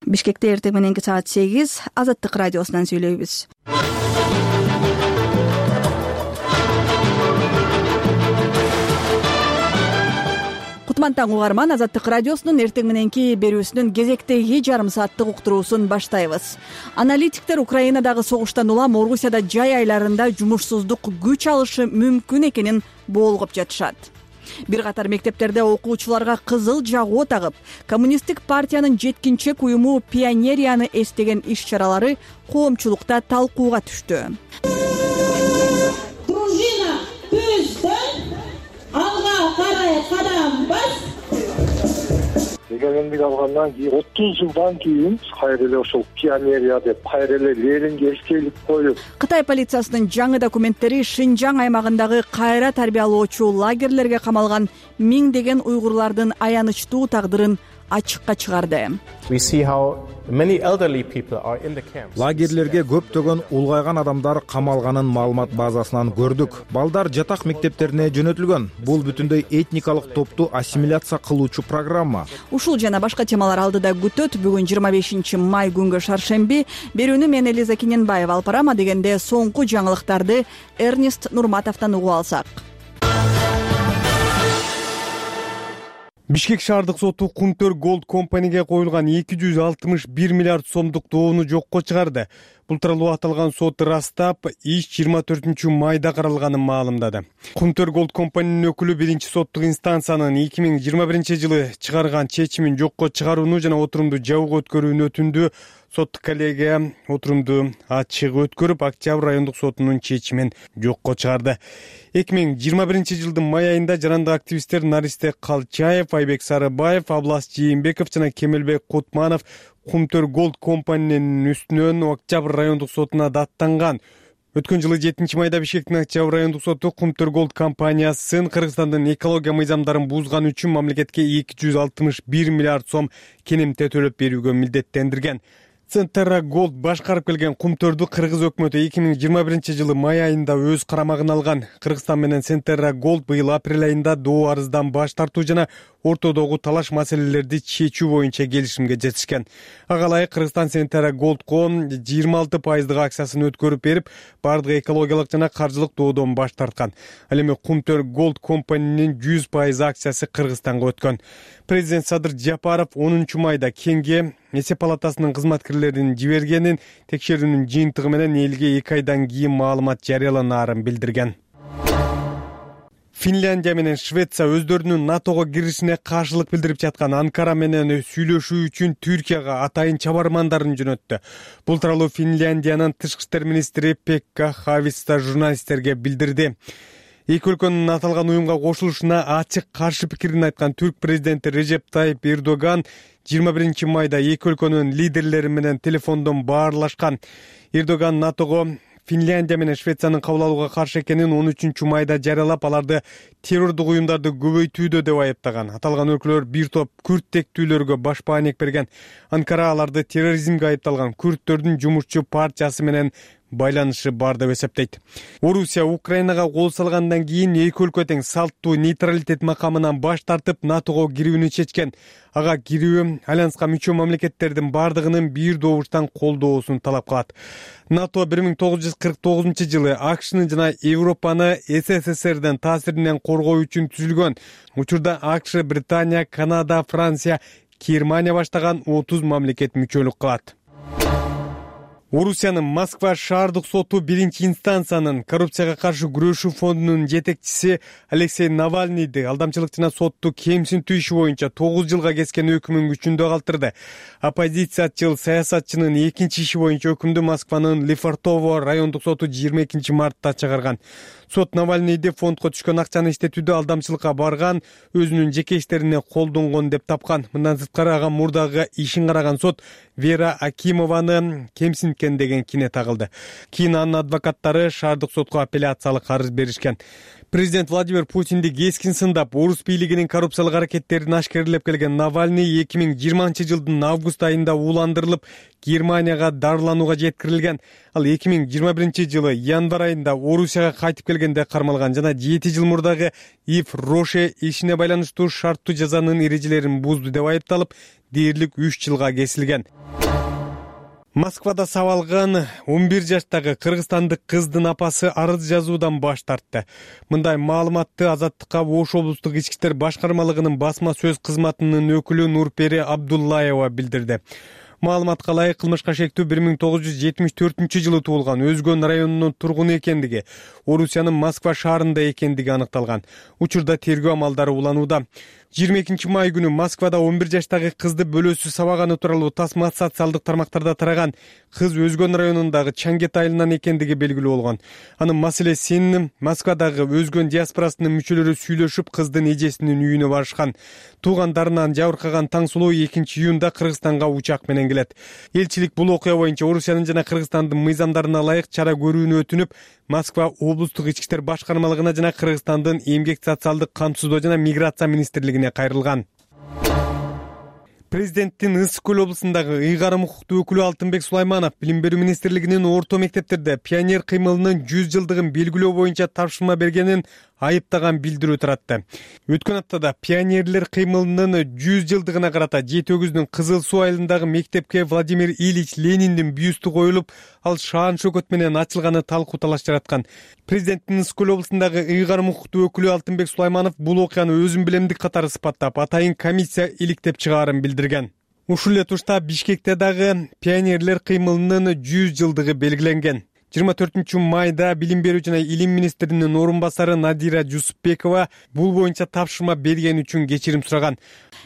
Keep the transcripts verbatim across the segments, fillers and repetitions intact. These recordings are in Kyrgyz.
Бишкекте эртең мененки саат сегиз Азаттык радиосунан сүйлөйбүз. Кутман таң угарман, Азаттык радиосунун эртең мененки берүүсүнүн кезектеги жарым сааттык уктуруусун баштайбыз. Аналитиктер Украинадагы согуштан улам Орусияда жай айларында жумушсуздук күч алышы мүмкүн экенин боолгоп жатышат. Бир катар мектептерде окуучуларга кызыл жагуу тагып, коммунисттик партиянын жеткинчек уюму Пионерияны эстеген иш-чаралары коомчулукта талкууга түштү. Дружина көздөн алга карай кадам бас. Эгемендик алгандан кийин отуз жылдан кийин кайра эле ошол Пионерия деп кайра эле Ленинге эскейлик коюп. Кытай полициясынын жаңы документтери Шинжаң аймагындагы кайра тарбиялоочу лагерлерге камалган миңдеген уйгурлардын аянычтуу тагдырын ачыкка чыгарды. Лагерлерге көптөгөн улгайган адамдар камалганын маалымат базасынан көрдүк. Балдар жатак мектептерине жөнөтүлгөн. Бул бүтүндөй этникалык топту ассимиляция кылуучу программа. Ушул жана башка темалар алдыда күтөт. Бүгүн жыйырма бешинчи май күнгө шаршемби. Берүүнү мен Элиза Киненбаева алып барам. Дегенде соңку жаңылыктарды Эрнест Нурматовдон угуп алсак. Бишкек шаардык соту Кумтөр Gold компанияга коюлган эки жүз алтымыш бир миллиард сомдук доону жокко чыгарды. Бул тууралуу аталган сот ырастап, иш жыйырма төртүнчү майда каралганын маалымдады. Кумтөр Gold компаниянын өкүлү биринчи соттук инстанциянын эки миң жыйырма биринчи жылы чыгарган чечимин жокко чыгарууну жана отурумду жабык өткөрүүнү өтүндү. Соттук коллегия отурумду ачык өткөрүп, Октябрь райондук сотунун чечимин жокко чыгарды. эки миң жыйырма биринчи жылдын май айында жарандык активисттер Наристе Калчаев, Айбек Сарыбаев, Аблас Жээнбеков жана Кемелбек Кутманов Кумтөр Gold компаниянын үстүнөн Октябрь райондук сотуна даттанган. Өткөн жылы жетинчи майда Бишкектин Октябрь райондук соту Кумтөр Gold компаниясын Кыргызстандын экология мыйзамдарын бузганы үчүн мамлекетке эки жүз алтымыш бир миллиард сом кенемте төлөп берүүгө милдеттендирген. Центра Gold башкарып келген Кумтөрдү Кыргыз өкмөтү эки миң жыйырма биринчи жылы май айында өз карамагына алган. Кыргызстан менен Центра Gold быйыл апрель айында доо арыздан баш тартуу жана ортодогу талаш маселелерди чечүү боюнча келишимге жетишкен. Ага ылайык Кыргызстан Центра Goldко жыйырма алты пайыздык акциясын өткөрүп берип, бардык экологиялык жана каржылык доодон баш тарткан. Ал эми Кумтөр Gold компаниянын жүз пайыз акциясы Кыргызстанга өткөн. Президент Садыр Жапаров онунчу майда Кеңге Эсеп палатасынын кызматкерлерин жибергенин, текшерүүнүн жыйынтыгы менен элге эки айдан кийин маалымат жарыяланаарын билдирген. Финляндия менен Швеция өздөрүнүн НАТОго киришине каршылык билдирип жаткан Анкара менен сүйлөшүү үчүн Түркияга атайын чабармандарын жөнөттү. Бул тууралуу Финляндиянын тышкы иштер министри Пекка Хависта журналисттерге билдирди. Эки өлкөнүн аталган уюмга кошулушуна ачык каршы пикирин айткан түрк президенти Режеп Тайип Эрдоган жыйырма биринчи майда эки өлкөнүн лидерлери менен телефондон баарлашкан. Эрдоган НАТОго Финляндия менен Швециянын кабыл алууга каршы экенин он үчүнчү майда жарыялап, аларды террордук уюмдарды көбөйтүүдө деп айыптаган. Аталган өлкөлөр бир топ күрд тектүүлөргө баш баанек берген. Анкара аларды терроризмге айыпталган күрдтөрдүн жумушчу партиясы менен байланышы бар деп эсептейт. Орусия Украинага кол салгандан кийин эки өлкө тең салттуу нейтралитет макамынан баш тартып НАТОго кирүүнү чечкен. Ага кирүү альянска мүчө мамлекеттердин бардыгынын бир добуштан колдоосун талап кылат. НАТО бир миң тогуз жүз кырк тогузунчу жылы АКШны жана Европаны СССРдин таасиринен коргоо үчүн түзүлгөн. Учурда АКШ, Британия, Канада, Франция, Германия баштаган отуз мамлекет мүчөлүк кылат. Орусиянын Москва шаардык соту биринчи инстанциянын коррупцияга каршы күрөшүү фондунун жетекчиси Алексей Навальныйды алдамчылык жана сотту кемсинтүү иши боюнча тогуз жылга кескен өкүмүн күчүндө калтырды. Оппозициячыл саясатчынын экинчи иши боюнча өкүмдү Москванын Лефортово райондук соту жыйырма экинчи мартта чыгарган. Сот Навальныйды фондко түшкөн акчаны иштетүүдө алдамчылыкка барган, өзүнүн жеке иштерине колдонгон деп тапкан. Мындан сырткары ага мурдагы ишин караган сот Вера Акимованы кемсинткен деген кине тагылды. Кийин анын адвокаттары шаардык сотко апелляциялык арыз беришкен. Президент Владимир Путинди кескин сындап, орус бийлигинин коррупциялык аракеттерин ашкерлеп келген Навальный эки миң жыйырманчы жылдын август айында ууландырылып, Германияга дарыланууга жеткирилген. Ал эки миң жыйырма биринчи жылы январь айында Орусияга кайтып келгенде кармалган жана жети жыл мурдагы Ив Роше ишине байланыштуу шарттуу жазанын эрежелерин бузду деп айыпталып, дээрлик үч жылга кесилген. Москвада сабалган он бир жаштагы кыргызстандык кыздын апасы арыз жазуудан баш тартты. Мындай маалыматты Азаттыкка Ош облустук ички иштер башкармалыгынын басма сөз кызматынын өкүлү Нурпери Абдуллаева билдирди. Маалыматка ылайык кылмышка шектүү бир миң тогуз жүз жетимиш төртүнчү жылы туулган Өзгөн районунун тургуну экендиги, Орусиянын Москва шаарында экендиги аныкталган. Учурда тергөө амалдары уланууда. жыйырма экинчи май күнү Москвада он бир жаштагы кызды бөлөөсү сабаганы тууралуу тасма социалдык тармактарда тараган. Кыз Өзгөн районундагы Чаңгет айылынан экендиги белгилүү болгон. Анын маселесин Москвадагы Өзгөн диаспорасынын мүчөлөрү сүйлөшүп, кыздын эжесинин үйүнө барышкан. Туугандарынан жабыркаган Таңсулуу экинчи июнда Кыргызстанга учак менен келет. Элчилик бул окуя боюнча Орусиянын жана Кыргызстандын мыйзамдарына ылайык чара көрүүнү өтүнүп, Москва облустук ички иштер башкармалыгына жана Кыргызстандын эмгек социалдык камсыздоо жана миграция министрлигине кайрылган. Президенттин Ысык көл облусундагы ыйгарым укуктуу өкүлү Алтынбек Сулайманов Билим берүү министрлигинин орто мектептерде пионер кыймылынын жүз жылдыгын белгилөө боюнча тапшырма бергенин айыптаган билдирүү таратты. Өткөн аптада пионерлер кыймылынын жүз жылдыгына карата Жети өгүздүн Кызыл Суу айылындагы мектепке Владимир Ильич Лениндин бюсту коюлуп, ал шаан шөкөт менен ачылганы талкуу талаш жараткан. Президенттин Ысык көл облусундагы ыйгарым укуктуу өкүлү Алтынбек Сулайманов бул окуяны өзүн билемдик катары сыпаттап, атайын комиссия иликтеп чыгаарын билдирген. Ушул эле тушта Бишкекте дагы пионерлер кыймылынын жүз жылдыгы белгиленген. жыйырма төртүнчү майда Билим берүү жана илим министринин орун басары Надира Жусупбекова бул боюнча тапшырма берген үчүн кечирим сураган.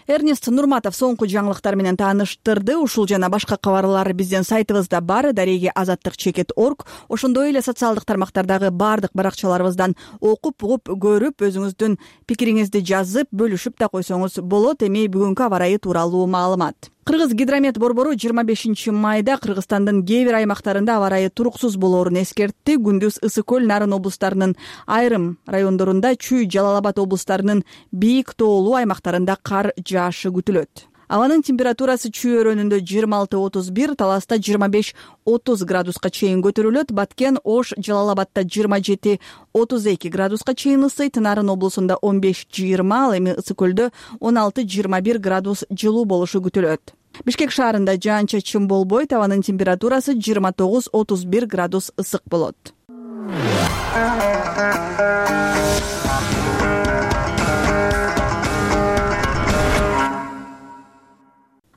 Эрнест Нурматов соңку жаңылыктар менен тааныштырды. Ушул жана башка кабарлар биздин сайтыбызда бар. Дареги азаттык чекит орг. Ошондой эле социалдык тармактардагы бардык баракчаларыбыздан окуп, угуп, көрүп, өзүңүздүн пикириңизди жазып, бөлүшүп да койсоңуз болот. Эми бүгүнкү аба ырайы тууралуу маалымат. Кыргыз гидромет борбору жыйырма бешинчи майда Кыргызстандын кээ бир аймактарында аба ырайы туруксуз болоорун эскертти. Күндүз Ысык көл, Нарын облустарынын айрым райондорунда, Чүй, Жалал Абад облустарынын бийик тоолуу аймактарында кар жаашы күтүлөт. Абанын температурасы Чүй өрөөнүндө жыйырма алты отуз бир, Таласта жыйырма беш отуз градуска чейин көтөрүлөт. Баткен, Ош, Жалал Абадта жыйырма жети отуз эки градуска чейин ысыйт. Нарын облусунда он беш жыйырма, ал эми Ысык көлдө он алты жыйырма бир градус жылуу болушу күтүлөт. Бишкек шаарында жаан-чачын болбойт. Абанын температурасы жыйырма тогуз отуз бир градус ысык болот.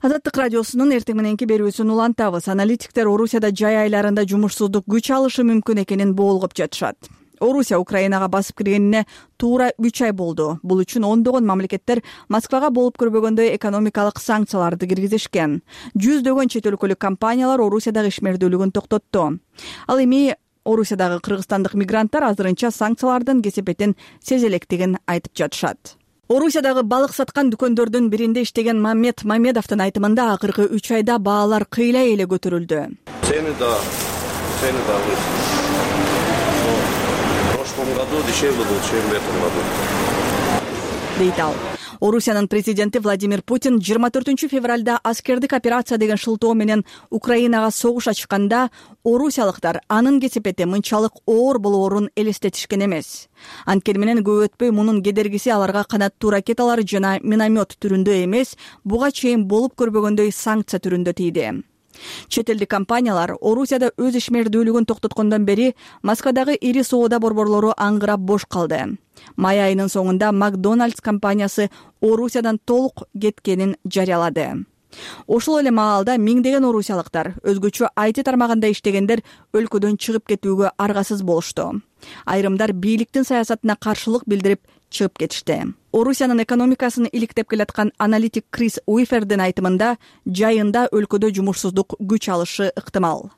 Азаттык радиосунун эртең мененки берүүсүн улантабыз. Аналитиктер Орусияда жай айларында жумушсуздук күч алышы мүмкүн экенин боолгоп жатышат. Орусия Украинага басып киргенине туура үч ай болду. Бул үчүн ондогон мамлекеттер Москвага болуп көрбөгөндөй экономикалык санкцияларды киргизишкен. Жүздөгөн чет өлкөлүк компаниялар Орусиядагы ишмердүүлүгүн токтотту. Ал эми Орусиядагы кыргызстандык мигранттар азырынча санкциялардын кесепетин сезе электигин айтып жатышат. Орусиядагы балык саткан дүкөндөрдүн биринде иштеген Маммед Мамедовдун айтымында акыркы үч айда баалар кыйла эле көтөрүлдү. Цены да, цены да выросли. В прошлом году дешевле был, чем в этом году. Дейт ал. Орусиянын президенти Владимир Путин жыйырма төртүнчү февралда аскердик операция деген шылтоо менен Украинага согуш ачканда орусиялыктар анын кесепети мынчалык оор болоорун элестетишкен эмес. Анткени менен көп өтпөй мунун кедергиси аларга канаттуу ракеталар жана миномет түрүндө эмес, буга чейин болуп көрбөгөндөй санкция түрүндө тийди. Чет элдик компаниялар Орусияда өз ишмердүүлүгүн токтоткондон бери Москвадагы ири соода борборлору аңгырап бош калды. Май айынын соңунда Макдональдс компаниясы Орусиядан толук кеткенин жарыялады. Ошол эле маалда миңдеген орусиялыктар, өзгөчө ай ти тармагында иштегендер өлкөдөн чыгып кетүүгө аргасыз болушту. Айрымдар бийликтин саясатына каршылык билдирип чыгып кетишти. Орусиянын экономикасын иликтеп келаткан аналитик Крис Уифердин айтымында жайында өлкөдө жумушсуздук күч алышы ыктымал.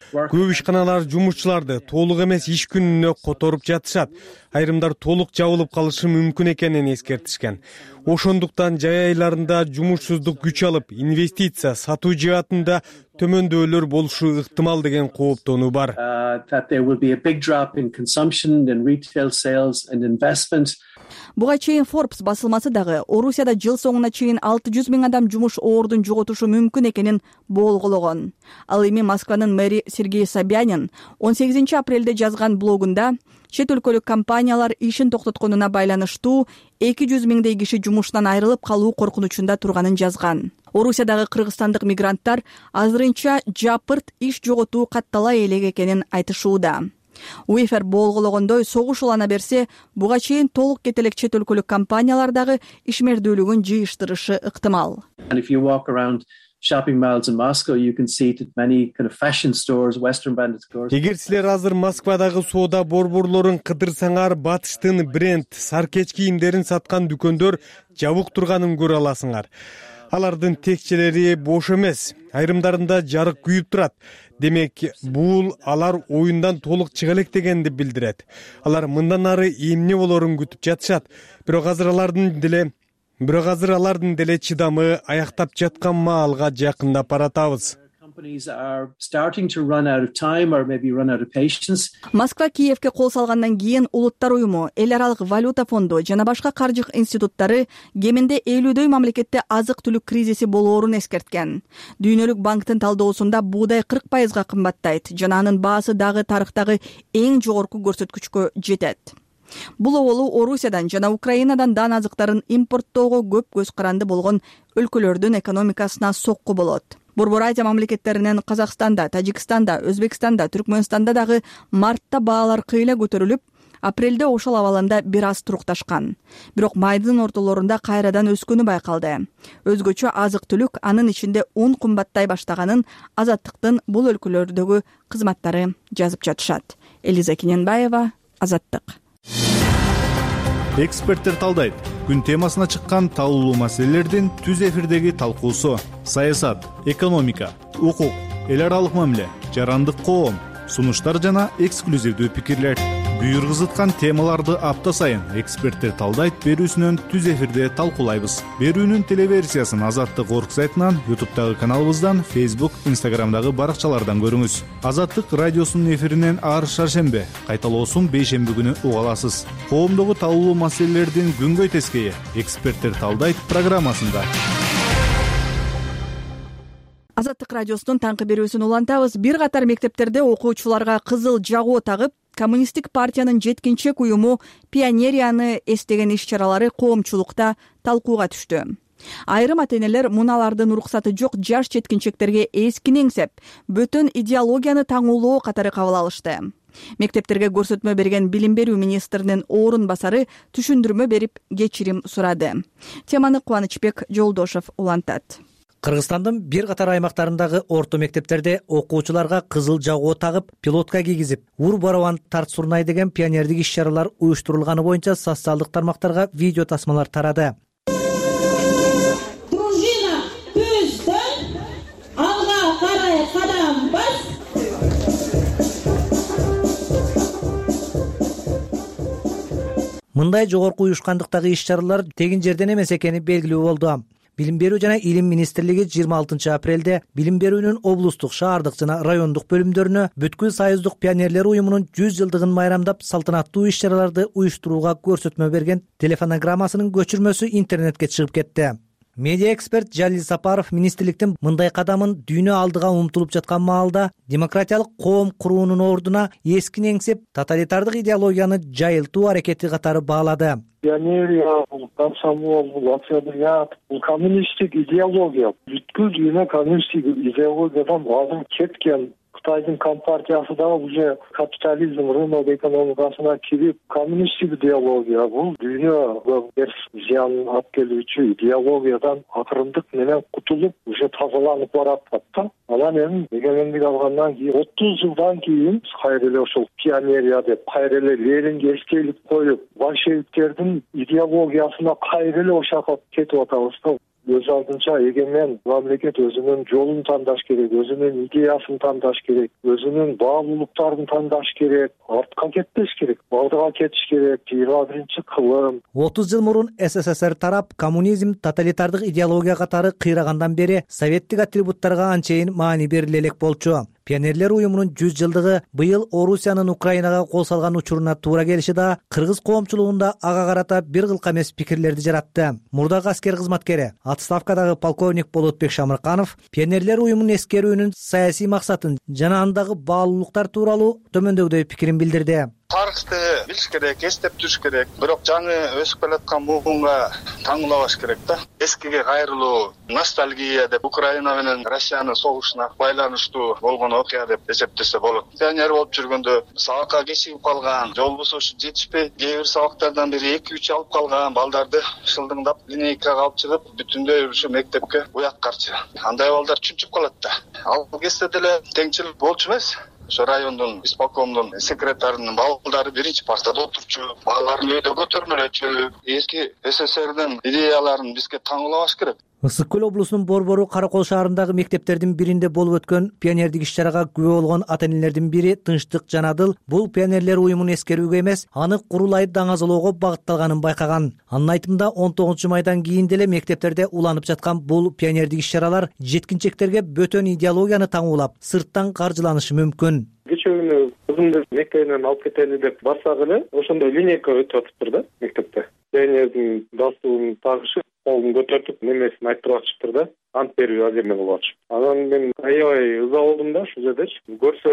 Көп ишканалар жумушчуларды толук эмес иш күнүнө которуп жатышат. Айрымдар толук жабылып калышы мүмкүн экенин эскертишкен. Ошондуктан жай айларында жумушсуздук күч алып, инвестиция, сатуу жаатында төмөндөөлөр болушу ыктымал деген кооптонуу бар. Буга чейин Forbes басылмасы дагы Орусияда жыл соңуна чейин алты жүз миң адам жумуш ордун жоготушу мүмкүн экенин болгологон. Ал эми Москванын мэри Сергей Собянин он сегизинчи апрелде жазган блогунда чет өлкөлүк компаниялар ишин токтотконуна байланыштуу эки жүз миңдей киши жумуштан айрылып калуу коркунучунда турганын жазган. Орусиядагы кыргызстандык мигранттар азырынча жапырт иш жоготуу каттала элек экенин айтышууда. УЕФР болгологондой согуш улана берсе, буга чейин толук кетелек чет өлкөлүк компаниялар дагы ишмердүүлүгүн жыйыштырышы ыктымал. Shopping malls in Moscow, you can see that many kind of fashion stores, Western branded stores. Эгер силер азыр Москвадагы соода борборлорун кыдырсаңар, батыштын бренд саркеч кийимдерин саткан дүкөндөр жабык турганын көрө аласыңар. Алардын текчелери бош эмес, айрымдарында жарык күйүп турат. Демек, бул алар оюндан толук чыга элек дегенди билдирет. Алар мындан ары эмне болорун күтүп жатышат. Бирок азыр алардын деле Бирок азыр алардын деле чыдамы аяктап жаткан маалга жакындап баратабыз. Москва Киевке кол салгандан кийин Улуттар уюму, Эл аралык валюта фонду жана башка каржы институттары кеминде элүүдөй мамлекетте азык-түлүк кризиси болоорун эскерткен. Дүйнөлүк банктын талдоосунда буудай кырк пайызга кымбаттайт жана анын баасы дагы тарыхтагы эң жогорку көрсөткүчкө жетет. Бул оболу Орусиядан жана Украинадан дан азыктарын импорттоого көп көз каранды болгон өлкөлөрдүн экономикасына сокку болот. Борбор Азия мамлекеттеринен Казакстанда, Тажикстанда, Өзбекстанда, Түркмөнстанда дагы мартта баалар кыйла көтөрүлүп, апрелде ошол абалында бир аз турукташкан. Бирок майдын ортолорунда кайрадан өскөнү байкалды. Өзгөчө азык-түлүк, анын ичинде ун кымбаттай баштаганын Азаттыктын бул өлкөлөрдөгү кызматтары жазып жатышат. Элиза Кененбаева, Азаттык. Эксперттер талдайт. Күн темасына чыккан талуулуу маселелердин түз эфирдеги талкуусу: саясат, экономика, укук, эл аралык мамиле, жарандык коом, сунуштар жана эксклюзивдүү пикирлер. Буйргызыткан темаларды апта сайын эксперттер талдайт берүүсүнөн түз эфирде талкуулайбыз. Берүүнүн телеверсиясын Азаттык орг сайтынан, ютубтагы каналыбыздан, Facebook, Instagramдагы баракчалардан көрүңүз. Азаттык радиосунун эфиринен ар шаршембе, кайталоосун бейшемби күнү уга аласыз. Коомдогу талуулуу маселелердин күнгөй тескейи эксперттер талдайт программасында. Азаттык радиосунун таңкы берүүсүн улантабыз. Бир катар мектептерде окуучуларга кызыл жагуу тагып, Коммунисттик партиянын жеткинчек уюму Пионерияны эстеген иш-чаралары коомчулукта талкууга түштү. Айрым ата-энелер муналардын уруксаты жок жаш жеткинчектерге эскини эңсеп, бөтөн идеологияны таңуулоо катары кабыл алышты. Мектептерге көрсөтмө берген билим берүү министринин орун басары түшүндүрмө берип кечирим сурады. Теманы Кубанычбек Жолдошов улантат. Кыргызстандын бир катар аймактарындагы орто мектептерде окуучуларга кызыл жагуу тагып, пилотка кийгизип, ур барабан тарт сурнай деген пионердик иш-чаралар уюштурулганы боюнча социалдык тармактарга видео тасмалар тарады. Дружина түздөн алга карай кадам бас. Мындай жогорку уюшкандыктагы иш-чаралар тегин жерден эмес экени белгилүү болду. Билим берүү жана илим министрлиги жыйырма алтынчы апрелде билим берүүнүн облустук, шаардык жана райондук бөлүмдөрүнө бүткүл союздук пионерлер уюмунун жүз жылдыгын майрамдап салтанаттуу иш-чараларды уюштурууга көрсөтмө берген телефонограммасынын көчүрмөсү интернетке чыгып кетти. Медиа эксперт Жалил Сапаров министрликтин мындай кадамын дүйнө алдыга умтулуп жаткан маалда демократиялык коом куруунун ордуна эскини эңсеп, тоталитардык идеологияны жайылтуу аракети катары баалады. Пионерия, бул комсомол, бул октябрят, бул коммунисттик идеология. Бүткүл дүйнө коммунисттик идеологиядан азыр кеткен. Кытайдын компартиясы да уже капитализм, рынок экономикасына кирип, коммунисттик идеология, бул дүйнөгө терс зыян алып келүүчү идеологиядан акырындык менен кутулуп, уже тазаланып баратат да. Анан эми эгемендик алгандан кийин отуз жылдан кийин кайра эле ошол пионерия деп, кайра эле Ленинге эскелик коюп, большевиктердин идеологиясына кайра эле ошакап кетип атабыз да. Өз алдынча эгемен мамлекет өзүнүн жолун тандаш керек, өзүнүн идеясын тандаш керек, өзүнүн баалуулуктарын тандаш керек, артка кетпеш керек, алдыга кетиш керек. жыйырма биринчи кылым. отуз жыл мурун СССР тарап, коммунизм, тоталитардык идеология катары кыйрагандан бери советтик атрибуттарга анчейин маани бериле элек болчу. Пионерлер уюмунун жүз жылдыгы быйыл Орусиянын Украинага кол салган учуруна туура келиши да кыргыз коомчулугунда ага карата бир кылка эмес пикирлерди жаратты. Мурдагы аскер кызматкери, отставкадагы полковник Болотбек Шамырканов пионерлер уюмунун эскерүүнүн саясий максатын жана андагы баалуулуктар тууралуу төмөндөгүдөй пикирин билдирди. Тарыхты билиш керек, эстеп жүрүш керек. Бирок жаңы өсүп келаткан буунга таңуулабаш керек да. Эскиге кайрылуу, ностальгия деп Украина менен Россиянын согушуна байланыштуу болгон окуя деп эсептесе болот. Пионер болуп жүргөндө сабакка кечигип калган, жол бусушу жетишпей, кээ бир сабактардан бири эки үч алып калган балдарды шылдыңдап линейкага алып чыгып, бүтүндөй ушу мектепке уяткарчы. Андай балдар чүнчүп калат да. Ал кезде деле теңчилик болчу эмес. Ошо райондун исполкомдун секретарынын балдары биринчи партада отурчу, балаларын үйдө көтөрмөлөчү. Эски СССРдин идеяларын бизге таңуулабаш керек. Ысык көл облусунун Борбору Каракол шаарындагы мектептердин биринде болуп өткөн пионердик иш-чарага күбө болгон ата-энелердин бири Тынчтык Жанадыл бул пионерлер уюмун эскерүүгө эмес, аны курулай даңазалоого багытталганын байкаган. Анын айтымында он тогузунчу майдан кийин деле мектептерде уланып жаткан бул пионердик иш-чаралар жеткинчектерге бөтөн идеологияны таңуулап, сырттан каржыланышы мүмкүн. Кечээ күнү кызымды мектебинен алып кетели деп барсак эле, ошондой линейка өтүп атыптыр да мектепте. Пионердин галстугун тагышып, колун көтөртүп, немесин айтып атышыптыр да. Ант берүү азырме болот. Анан мен аябай ыза болдум да ушул жердечи. Көрсө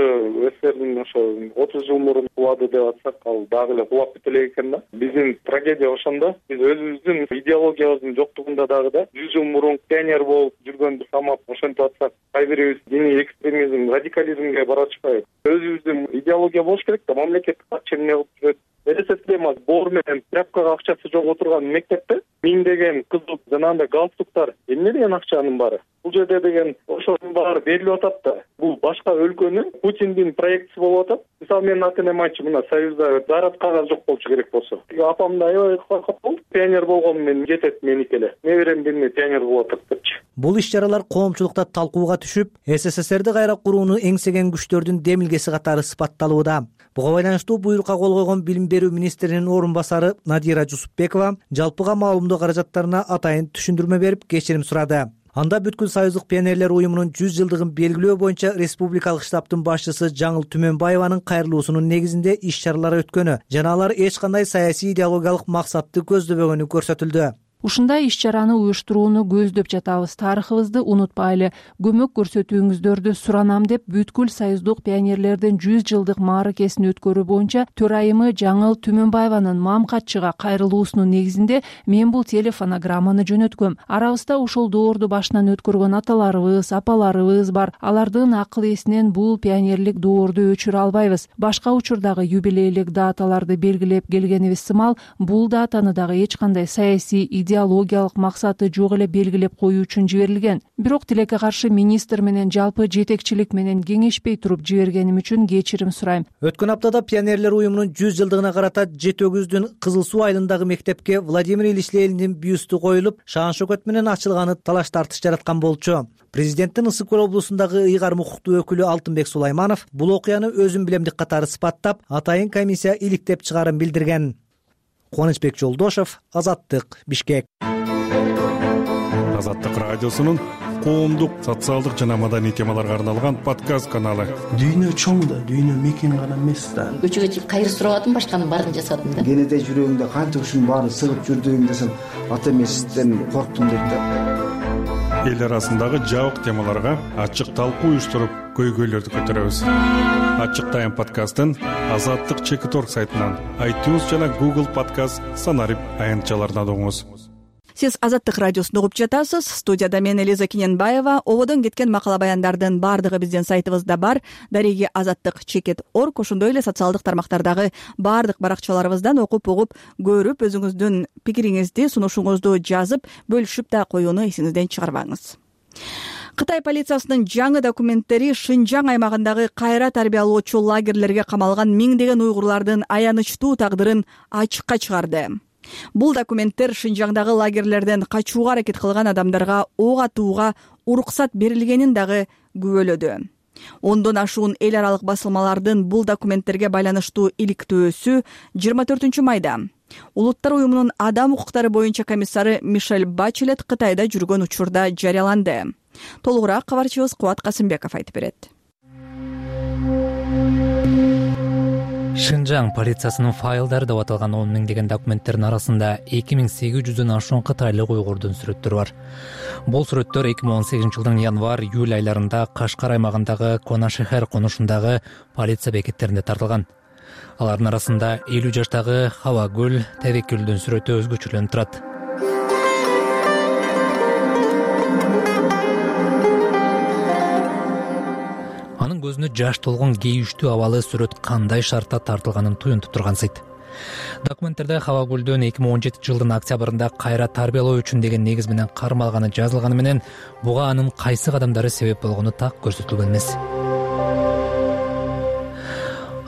СССРдин ошо отуз жыл мурун кулады деп атсак, ал дагы эле кулап кете элек экен да. Биздин трагедия ошондо. Биз өзүбүздүн идеологиябыздын жоктугунда дагы да жүз жыл мурун пионер болуп жүргөндү самап ошентип атсак, кайбирибиз диний экстремизм, радикализмге бара атышпайбы? Өзүбүздүн идеология болуш керек да, мамлекет качан эмне кылып жүрөт? СССР боор менен тряпкага акчасы жок отурган мектепте миңдеген кызыл жанагындай галстуктар эмне деген акчанын баары? Бул жерде деген ошонун баары берилип атат да. Бул башка өлкөнүн Путиндин проектиси болуп атат. Мисалы менин ата-энем айтчу, мына Союзда зарад кагаз жок болчу керек болсо. Апам да аябай коркуп болду. Пионер болгон менен жетет меники эле. Неберем бирне пионер болуп атат депчи. Бул иш-чаралар коомчулукта талкууга түшүп, СССРди кайра курууну эңсеген күчтөрдүн демилгеси катары сыпатталууда. Буга байланыштуу буйрукка кол койгон билим берүү министринин орун басары Надира Жусупбекова жалпыга маалымдоо каражаттарына атайын түшүндүрмө берип, кечирим сурады. Анда бүткүл союздук пионерлер уюмунун жүз жылдыгын белгилөө боюнча республикалык штабтын башчысы Жаңыл Түмөнбаеванын кайрылуусунун негизинде иш-чаралар өткөнү жана алар эч кандай саясий идеологиялык максатты көздөбөгөнү көрсөтүлдү. Ушундай иш-чараны уюштурууну көздөп жатабыз. Тарыхыбызды унутпайлы. Көмөк көрсөтүүңүздөрдү суранам деп бүткүл союздук пионерлердин жүз жылдык мааракесин өткөрүү боюнча төрайымы Жаңыл Түмөнбаеванын мамкатчыга кайрылуусунун негизинде мен бул телефонограмманы жөнөткөм. Арабызда ушул доорду башынан өткөргөн аталарыбыз, апаларыбыз бар. Алардын акыл эсинен бул пионерлик доорду өчүрө албайбыз. Башка учурдагы юбилейлик даталарды белгилеп келгенибиз сымал, бул датаны дагы эч кандай саясий идеологиялык максаты жок эле белгилеп коюу үчүн жиберилген. Бирок тилекке каршы министр менен жалпы жетекчилик менен кеңешпей туруп жибергеним үчүн кечирим сурайм. Өткөн аптада пионерлер уюмунун жүз жылдыгына карата Жети Өгүздүн Кызыл Суу айылындагы мектепке Владимир Ильич Лениндин бюсту коюлуп, шаан шөкөт менен ачылганы талаш тартыш жараткан болчу. Президенттин Ысык көл облусундагы ыйгарым укуктуу өкүлү Алтынбек Сулайманов бул окуяны өзүн билемдик катары сыпаттап, атайын комиссия иликтеп чыгарын билдирген. Кубанычбек Жолдошов, Азаттык, Бишкек. Азаттык радиосунун коомдук, социалдык жана маданий темаларга арналган подкаст каналы. Дүйнө чоң да, дүйнө мекен гана эмес да. Көчөгө чыгып кайыр сурабадым, башканын баарын жасадым да. Кенеде жүрөгүңдө канча ушунун баарын сыгып жүрдүң десем, ата эмесизден корктум дейт да. Эл арасындагы жабык темаларга ачык талкуу уюштуруп, көйгөйлөрдү көтөрөбүз. Ачык Тайм подкастын Азаттык чекит точка орг сайтынан, iTunes жана Google Podcast санарип аянтчаларынан угуңуз. Сиз Азаттык радиосун угуп жатасыз. Студияда мен Элиза Кененбаева. Ободон кеткен макала баяндардын баардыгы биздин сайтыбызда бар. Дареги Азаттык чекит точка орг, ошондой эле социалдык тармактардагы баардык баракчаларыбыздан окуп угуп, көрүп, өзүңүздүн пикириңизди, сунушуңузду жазып, бөлүшүп да коюуну эсиңизден чыгарбаңыз. Кытай полициясынын жаңы документтери Шинжаң аймагындагы кайра тарбиялоочу лагерлерге камалган миңдеген уйгурлардын аянычтуу тагдырын ачыкка чыгарды. Бул документтер Шинжаңдагы лагерлерден качууга аракет кылган адамдарга ок атууга уруксат берилгенин дагы күбөлөдү. Ондон ашуун эл аралык басылмалардын бул документтерге байланыштуу иликтөөсү жыйырма төртүнчү майда Улуттар уюмунун адам укуктары боюнча комиссары Мишель Бачелет Кытайда жүргөн учурда жарыяланды. Толугураак кабарчыбыз Кубат Касымбеков айтып берет. Шынжаң полициясынын файлдары деп аталган он миңдеген документтердин арасында эки миң сегиз жүздөн ашуун кытайлык уйгурдун сүрөттөрү бар. Бул сүрөттөр эки миң он сегизинчи жылдын январь июль айларында Кашкар аймагындагы Конашехер конушундагы полиция бекеттеринде тартылган. Алардын арасында элүү жаштагы Хавагүл Тевекүлдүн сүрөтү өзгөчөлөнүп турат. Анын көзүнө жаш толгон кейиштүү абалы сүрөт кандай шартта тартылганын туюнтуп тургансыйт. Документтерде Хавагүлдүн эки миң он жетинчи жылдын октябрында кайра тарбиялоо үчүн деген негиз менен кармалганы жазылганы менен буга анын кайсы кадамдары себеп болгону так көрсөтүлгөн эмес.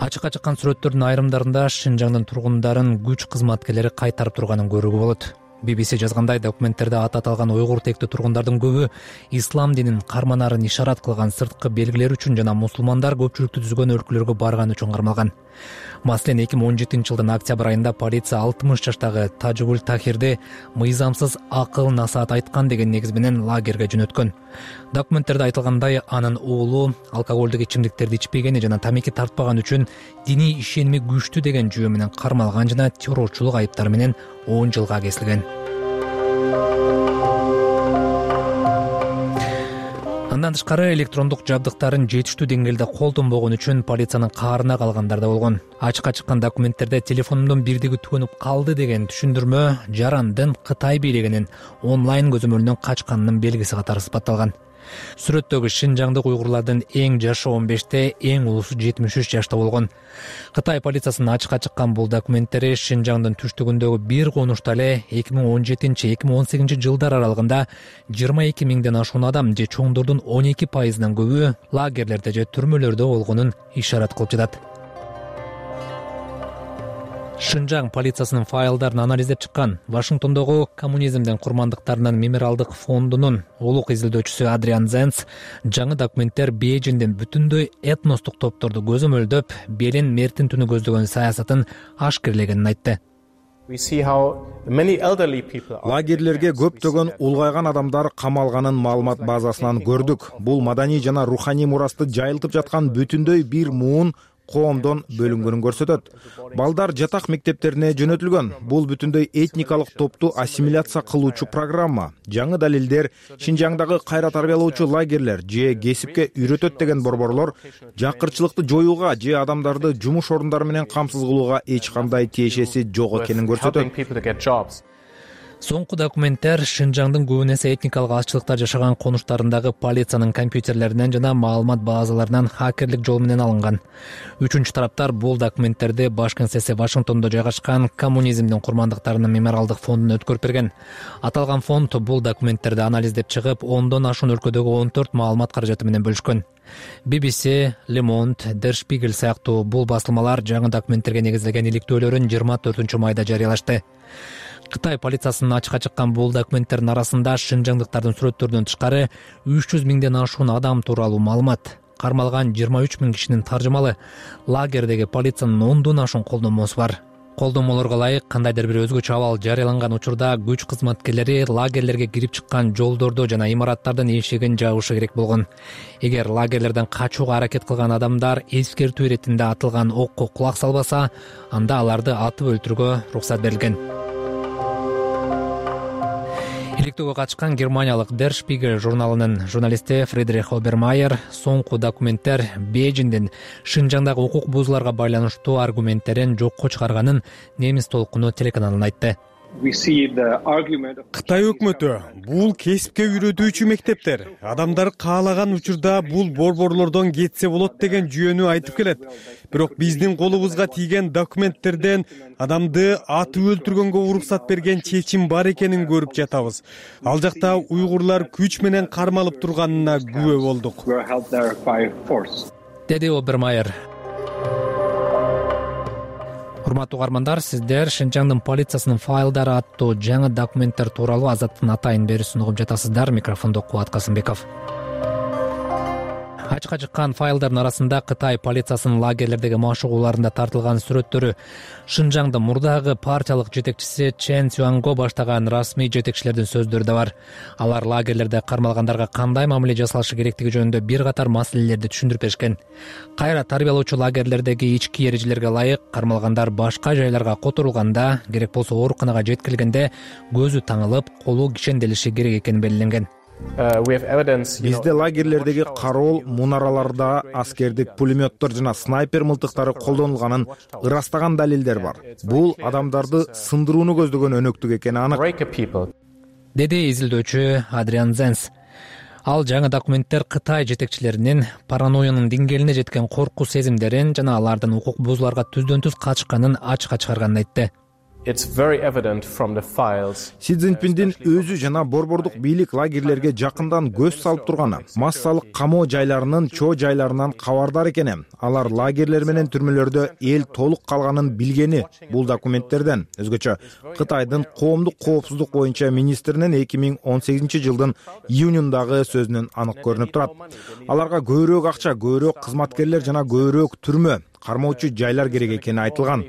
Ачыкка чыккан сүрөттөрдүн айрымдарында Шынжаңдын тургундарын күч кызматкерлери кайтарып турганын көрүүгө болот. би би си жазгандай, документтерде аты аталган уйгур тектүү тургундардын көбү ислам динин карманарын ишарат кылган сырткы белгилер үчүн жана мусулмандар көпчүлүктү түзгөн өлкөлөргө барган үчүн кармалган. Маселен, эки миң он жетинчи жылдын октябрь айында полиция алтымыш жаштагы Тажигул Тахирди мыйзамсыз акыл насаат айткан деген негиз менен лагерге жөнөткөн. Документтерде айтылгандай, анын уулу алкоголдук ичимдиктерди ичпегени жана тамеки тартпаган үчүн диний ишеними күчтүү деген жүйө менен кармалган жана террорчулук айыптары менен он жылга кесилген. Андан тышкары электрондук жабдыктарын жетиштүү деңгээлде колдонбогон үчүн полициянын каарына калгандар да болгон. Ачыкка чыккан документтерде телефонумдун бирдиги түгөнүп калды деген түшүндүрмө жарандын Кытай бийлигинин онлайн көзөмөлүнөн качканынын белгиси катары сыпатталган. Сүрөттөгү шынжаңдык уйгурлардын эң жашы он беште, эң улусу жетимиш үч жашта болгон. Кытай полициясынын ачыкка чыккан бул документтери Шынжаңдын түштүгүндөгү бир конушта эле эки миң он жетинчи эки миң он сегизинчи жылдар аралыгында жыйырма эки миңден ашуун адам же чоңдордун он эки пайызынан көбү лагерлерде же түрмөлөрдө болгонун ишарат кылып жатат. Шынжаң полициясынын файлдарын анализдеп чыккан Вашингтондогу коммунизмдин курмандыктарынын мемориалдык фондунун улук изилдөөчүсү Адриан Зенц жаңы документтер Бейжиңдин бүтүндөй этностук топторду көзөмөлдөп, белин мертин-түнү көздөгөн саясатын ашкерлегенин айтты. Лагерлерге көптөгөн улгайган адамдар камалганын маалымат базасынан көрдүк. Бул маданий жана руханий мурасты жайылтып жаткан бүтүндөй бир муун коомдон бөлүнгөнүн көрсөтөт. Балдар жатак мектептерине жөнөтүлгөн. Бул бүтүндөй этникалык топту ассимиляция кылуучу программа. Жаңы далилдер Шынжаңдагы кайра тарбиялоочу лагерлер же кесипке үйрөтөт деген борборлор жакырчылыкты жоюуга же адамдарды жумуш орундары менен камсыз кылууга эч кандай тиешеси жок экенин көрсөтөт. Соңку документтер Шынжаңдын көбүн эсе этникалык азчылыктар жашаган конуштарындагы полициянын компьютерлеринен жана маалымат базаларынан хакерлик жол менен алынган. Үчүнчү тараптар бул документтерди баш кеңсеси Вашингтондо жайгашкан коммунизмдин курмандыктарынын мемориалдык фондуна өткөрүп берген. Аталган фонд бул документтерди анализдеп чыгып, ондон ашуун өлкөдөгү он төрт маалымат каражаты менен бөлүшкөн. би би си, Le Monde, Der Spiegel сыяктуу бул басылмалар жаңы документтерге негизделген иликтөөлөрүн жыйырма төртүнчү майда жарыялашты. Кытай полициясынын ачыкка чыккан бул документтердин арасында шынжаңдыктардын сүрөттөрүнөн тышкары үч жүз миңден ашуун адам тууралуу маалымат, кармалган жыйырма үч миң кишинин таржымалы, лагердеги полициянын ондон ашуун колдонмосу бар. Колдонмолорго ылайык кандайдыр бир өзгөчө абал жарыяланган учурда күч кызматкерлери лагерлерге кирип чыккан жолдордо жана имараттардын эшигин жабышы керек болгон. Эгер лагерлерден качууга аракет кылган адамдар эскертүү иретинде атылган окко кулак салбаса, анда аларды атып өлтүрүүгө уруксат берилген. Иликтөөгө катышкан германиялык Der Spiegel журналынын журналисти Фридрих Обермайер соңку документтер Бейжиңдин Шынжаңдагы укук бузууларга байланыштуу аргументтерин жокко чыгарганын немис толкуну телеканалына айтты. Кытай өкмөтү бул кесипке үйрөтүүчү мектептер адамдар каалаган учурда бул борборлордон кетсе болот деген жүйөнү айтып келет. Бирок биздин колубузга тийген документтерден адамды атып өлтүргөнгө уруксат берген чечим бар экенин көрүп жатабыз. Ал жакта уйгурлар күч менен кармалып турганына күбө болдук, деди Обермайер. Урматтуу угармандар, сиздер Шынжаңдын полициясынын файлдары аттуу жаңы документтер тууралуу Азаттын атайын берүүсүн угуп жатасыздар. Микрофондо Кубат Касымбеков. ачыкка чыккан файлдардын арасында Кытай полициясынын лагерлердеги машыгууларында тартылган сүрөттөрү, Шынжаңдын мурдагы партиялык жетекчиси Чен Цюанго баштаган расмий жетекчилердин сөздөрү да бар. Алар лагерлерде кармалгандарга кандай мамиле жасалышы керектиги жөнүндө бир катар маселелерди түшүндүрүп беришкен. Кайра тарбиялоочу лагерлердеги ички эрежелерге ылайык кармалгандар башка жайларга которулганда, керек болсо ооруканага жеткирилгенде көзү таңылып, колу кишенделиши керек экени белгиленген. Бизде лагерлердеги кароол мунараларда аскердик пулеметтор жана снайпер мылтыктары колдонулганын ырастаган далилдер бар. Бул адамдарды сындырууну көздөгөн өнөктүк экени анык, деди изилдөөчү Адриан Зенс. Ал жаңы документтер Кытай жетекчилеринин паранойянын деңгээлине жеткен коркуу сезимдерин жана алардын укук бузууларга түздөн түз катышканын ачыкка чыгарганын айтты. Си Цзиньпиндин өзү жана борбордук бийлик лагерлерге жакындан көз салып турганы, массалык камоо жайларынын чоо жайларынан кабардар экени, алар лагерлер менен түрмөлөрдө эл толук калганын билгени бул документтерден. Өзгөчө Кытайдын коомдук коопсуздук боюнча министринин эки миң он сегизинчи жылдын июнундагы сөзүнөн анык көрүнүп турат. Аларга көбүрөөк акча, көбүрөөк кызматкерлер жана көбүрөөк түрмө, кармоочу жайлар керек экени айтылган.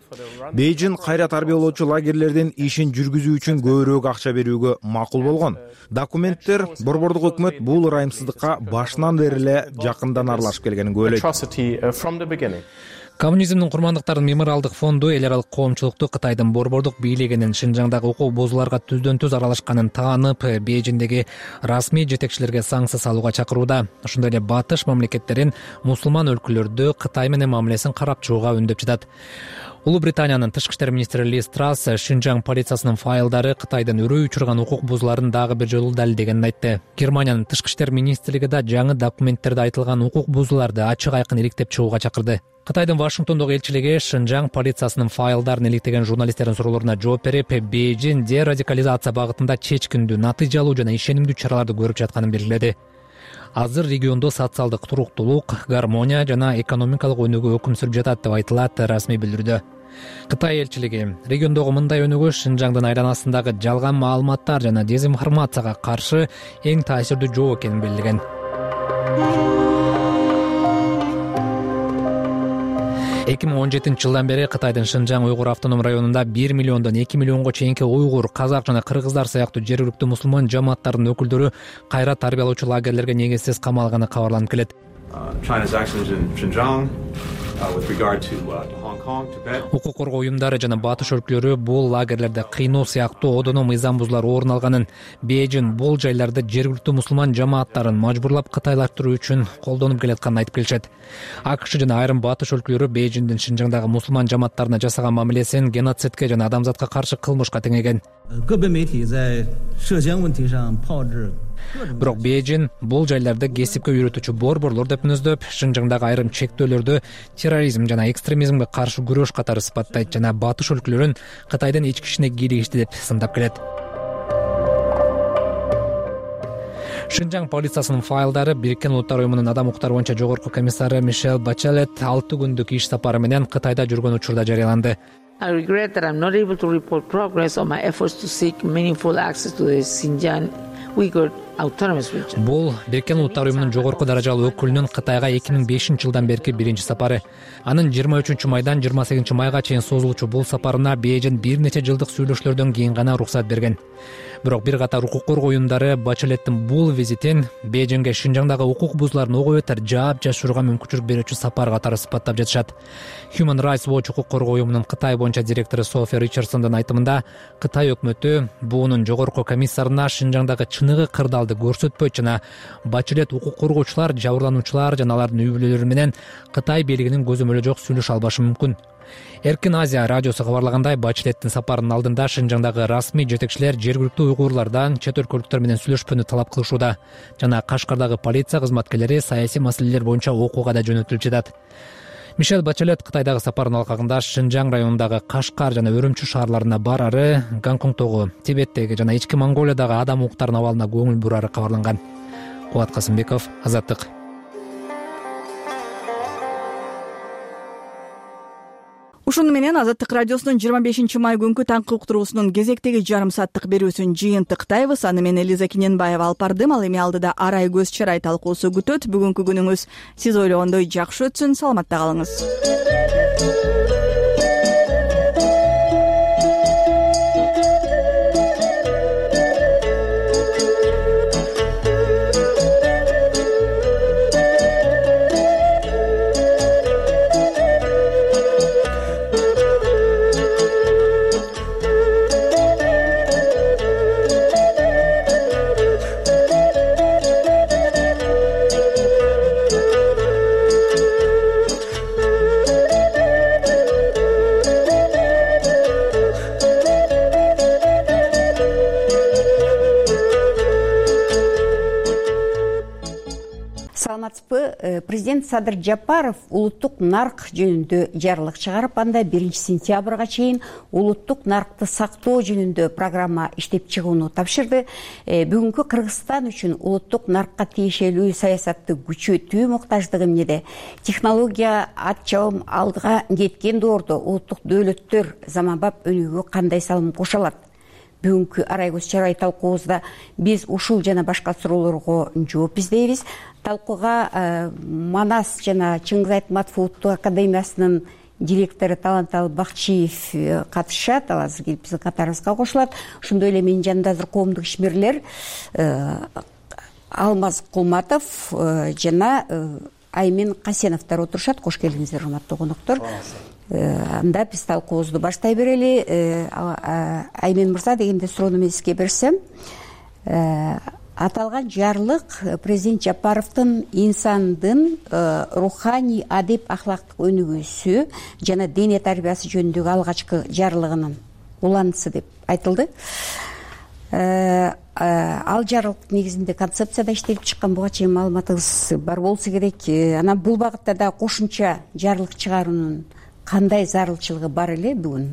Бейжин кайра тарбиялоочу лагерлердин ишин жүргүзүү үчүн көбүрөөк акча берүүгө макул болгон. Документтер борбордук өкмөт бул ырайымсыздыкка башынан бери эле жакындан аралашып келгенин күбөлөйт. Коммунизмдин курмандыктарынын мемориалдык фонду эл аралык коомчулукту Кытайдын борбордук бийлигинин Шынжаңдагы укук бузууларга түздөн түз аралашканын таанып, Бейжиндеги расмий жетекчилерге санкция салууга чакырууда. Ошондой эле батыш мамлекеттерин мусулман өлкөлөрдө Кытай менен мамилесин карап чыгууга үндөп жатат. Улуу Британиянын тышкы иштер министри Лиз Трасс Шынжаң полициясынын файлдары Кытайдын өрөө учурган укук бузууларын дагы бир жолу далилдегенин айтты. Германиянын тышкы иштер министрлиги да жаңы документтерде айтылган укук бузууларды ачык айкын иликтеп чыгууга чакырды. Кытайдын Вашингтондогу элчилиги Шынжаң полициясынын файлдарын иликтеген журналисттердин суроолоруна жооп берип, Бейжин дерадикализация багытында чечкиндүү, натыйжалуу жана ишенимдүү чараларды көрүп жатканын белгиледи. Азыр региондо социалдык туруктуулук, гармония жана экономикалык өнүгүү өкүм сүрүп жатат деп айтылат расмий билдирүүдө. Кытай элчилиги региондогу мындай өнүгүү Шынжаңдын айланасындагы жалган маалыматтар жана дезинформацияга каршы эң таасирдүү жол экенин белгилеген. эки миң он жетинчи жылдан бери Кытайдын Шынжаң уйгур автоном районунда бир миллиондон эки миллионго чейинки уйгур, казак жана кыргыздар сыяктуу жергиликтүү мусулман жамааттарынын өкүлдөрү кайра тарбиялоочу лагерлерге негизсиз камалганы кабарланып келет. Укук коргоо уюмдары жана батыш өлкөлөрү бул лагерлерде кыйноо сыяктуу одоно мыйзам бузуулар орун алганын, Бейжин бул жайларды жергиликтүү мусулман жамааттарын мажбурлап кытайлаштыруу үчүн колдонуп келатканын айтып келишет. АКШ жана айрым батыш өлкөлөрү Бейжиндин Шынжаңдагы мусулман жамааттарына жасаган мамилесин геноцидке жана адамзатка каршы кылмышка теңеген. Бирок Бейжин бул жайларды кесипке үйрөтүүчү борборлор деп мүнөздөп, Шынжаңдагы айрым чектөөлөрдү терроризм жана экстремизмге каршы күрөш катары сыпаттайт жана батыш өлкөлөрүн Кытайдын ички ишине кийлигишти деп сындап келет. Шынжаң полициясынын файлдары Бириккен Улуттар уюмунун адам укуктары боюнча жогорку комиссары Мишель Бачелет алты күндүк иш сапары менен Кытайда жүргөн учурда жарыяланды. I regret that I'm not able to report progress on my efforts to seek meaningful access to the Xinjiang Uyghur Autonomous Region. Бул Бириккен Улуттар уюмунун жогорку даражалуу өкүлүнүн Кытайга эки миң бешинчи жылдан берки биринчи сапары. Анын жыйырма үчүнчү майдан жыйырма сегизинчи майга чейин созулуучу бул сапарына Бейжин бир нече жылдык сүйлөшүүлөрдөн кийин гана уруксат берген. Бирок бир катар укук коргоо уюмдары Бачелеттин бул визитин Бейжинге Шынжаңдагы укук бузууларын ого бетер жаап жашырууга мүмкүнчүлүк берүүчү сапар катары сыпаттап жатышат. Human Rights Watch укук коргоо уюмунун Кытай боюнча директору София Ричардсондун айтымында, Кытай өкмөтү буунун жогорку комиссарына Шынжаңдагы чыныгы кырдаалды көрсөтпөйт жана Бачелет укук коргоочулар, жабырлануучулар жана алардын үй бүлөлөрү менен Кытай бийлигинин көзөмөлү жок сүйлөшө албашы мүмкүн. Эркин Азия радиосу кабарлагандай, Бачелеттин сапарынын алдында Шынжаңдагы расмий жетекчилер жергиликтүү уйгурлардан чет өлкөлүктөр менен сүйлөшпөнү талап кылышууда жана Кашкардагы полиция кызматкерлери саясий маселелер боюнча окууга да жөнөтүлүп жатат. Мишель Бачелет Кытайдагы сапарынын алкагында Шынжаң районундагы Кашкар жана Өрүмчү шаарларына барары, Гонконгдогу, Тибеттеги жана ички Монголиядагы адам укуктарынын абалына көңүл бурары кабарланган. Кубат Касымбеков, Азаттык. ушуну менен Азаттык радиосунун жыйырма бешинчи май күнкү таңкы уктуруусунун кезектеги жарым сааттык берүүсүн жыйынтыктайбыз. Аны мен Элиза Киненбаева алып бардым. Ал эми алдыда арай көз чарай талкуусу күтөт. Бүгүнкү күнүңүз сиз ойлогондой жакшы өтсүн. Саламатта калыңыз. Президент Садыр Жапаров улуттук нарк жөнүндө жарлык чыгарып, анда биринчи сентябрга чейин улуттук наркты сактоо жөнүндө программа иштеп чыгууну тапшырды. Бүгүнкү Кыргызстан үчүн улуттук наркка тиешелүү саясатты күчөтүү муктаждыгы эмнеде? Технология ат чабым алдыга кеткен доордо улуттук дөөлөттөр заманбап өнүгүүгө кандай салым кошо алат? Бүгүнкү арай көз чарай талкуубузда биз ушул жана башка суроолорго жооп издейбиз. Талкууга Манас жана Чыңгыз Айтматов улуттук академиясынын директору Таланталы Бакчиев катышат. Ал азыр келип биздин катарыбызга кошулат. Ошондой эле менин жанымда азыр коомдук ишмерлер Алмаз Кулматов жана Аймен Касеновдор отурушат. Кош келиңиздер, урматтуу коноктор. Анда биз талкуубузду баштай берели. Аймен мырза, дегенде суроону мен сизге берсем, аталган жарлык президент Жапаровдун инсандын руханий, адеп, ахлактык өнүгүүсү жана дене тарбиясы жөнүндөгү алгачкы жарлыгынын уланысы деп айтылды. Ал жарлык негизинде концепцияда иштелип чыккан, буга чейин маалыматыңыз бар болсо керек. Анан бул багытта да кошумча жарлык чыгаруунун кандай зарылчылыгы бар эле бүгүн?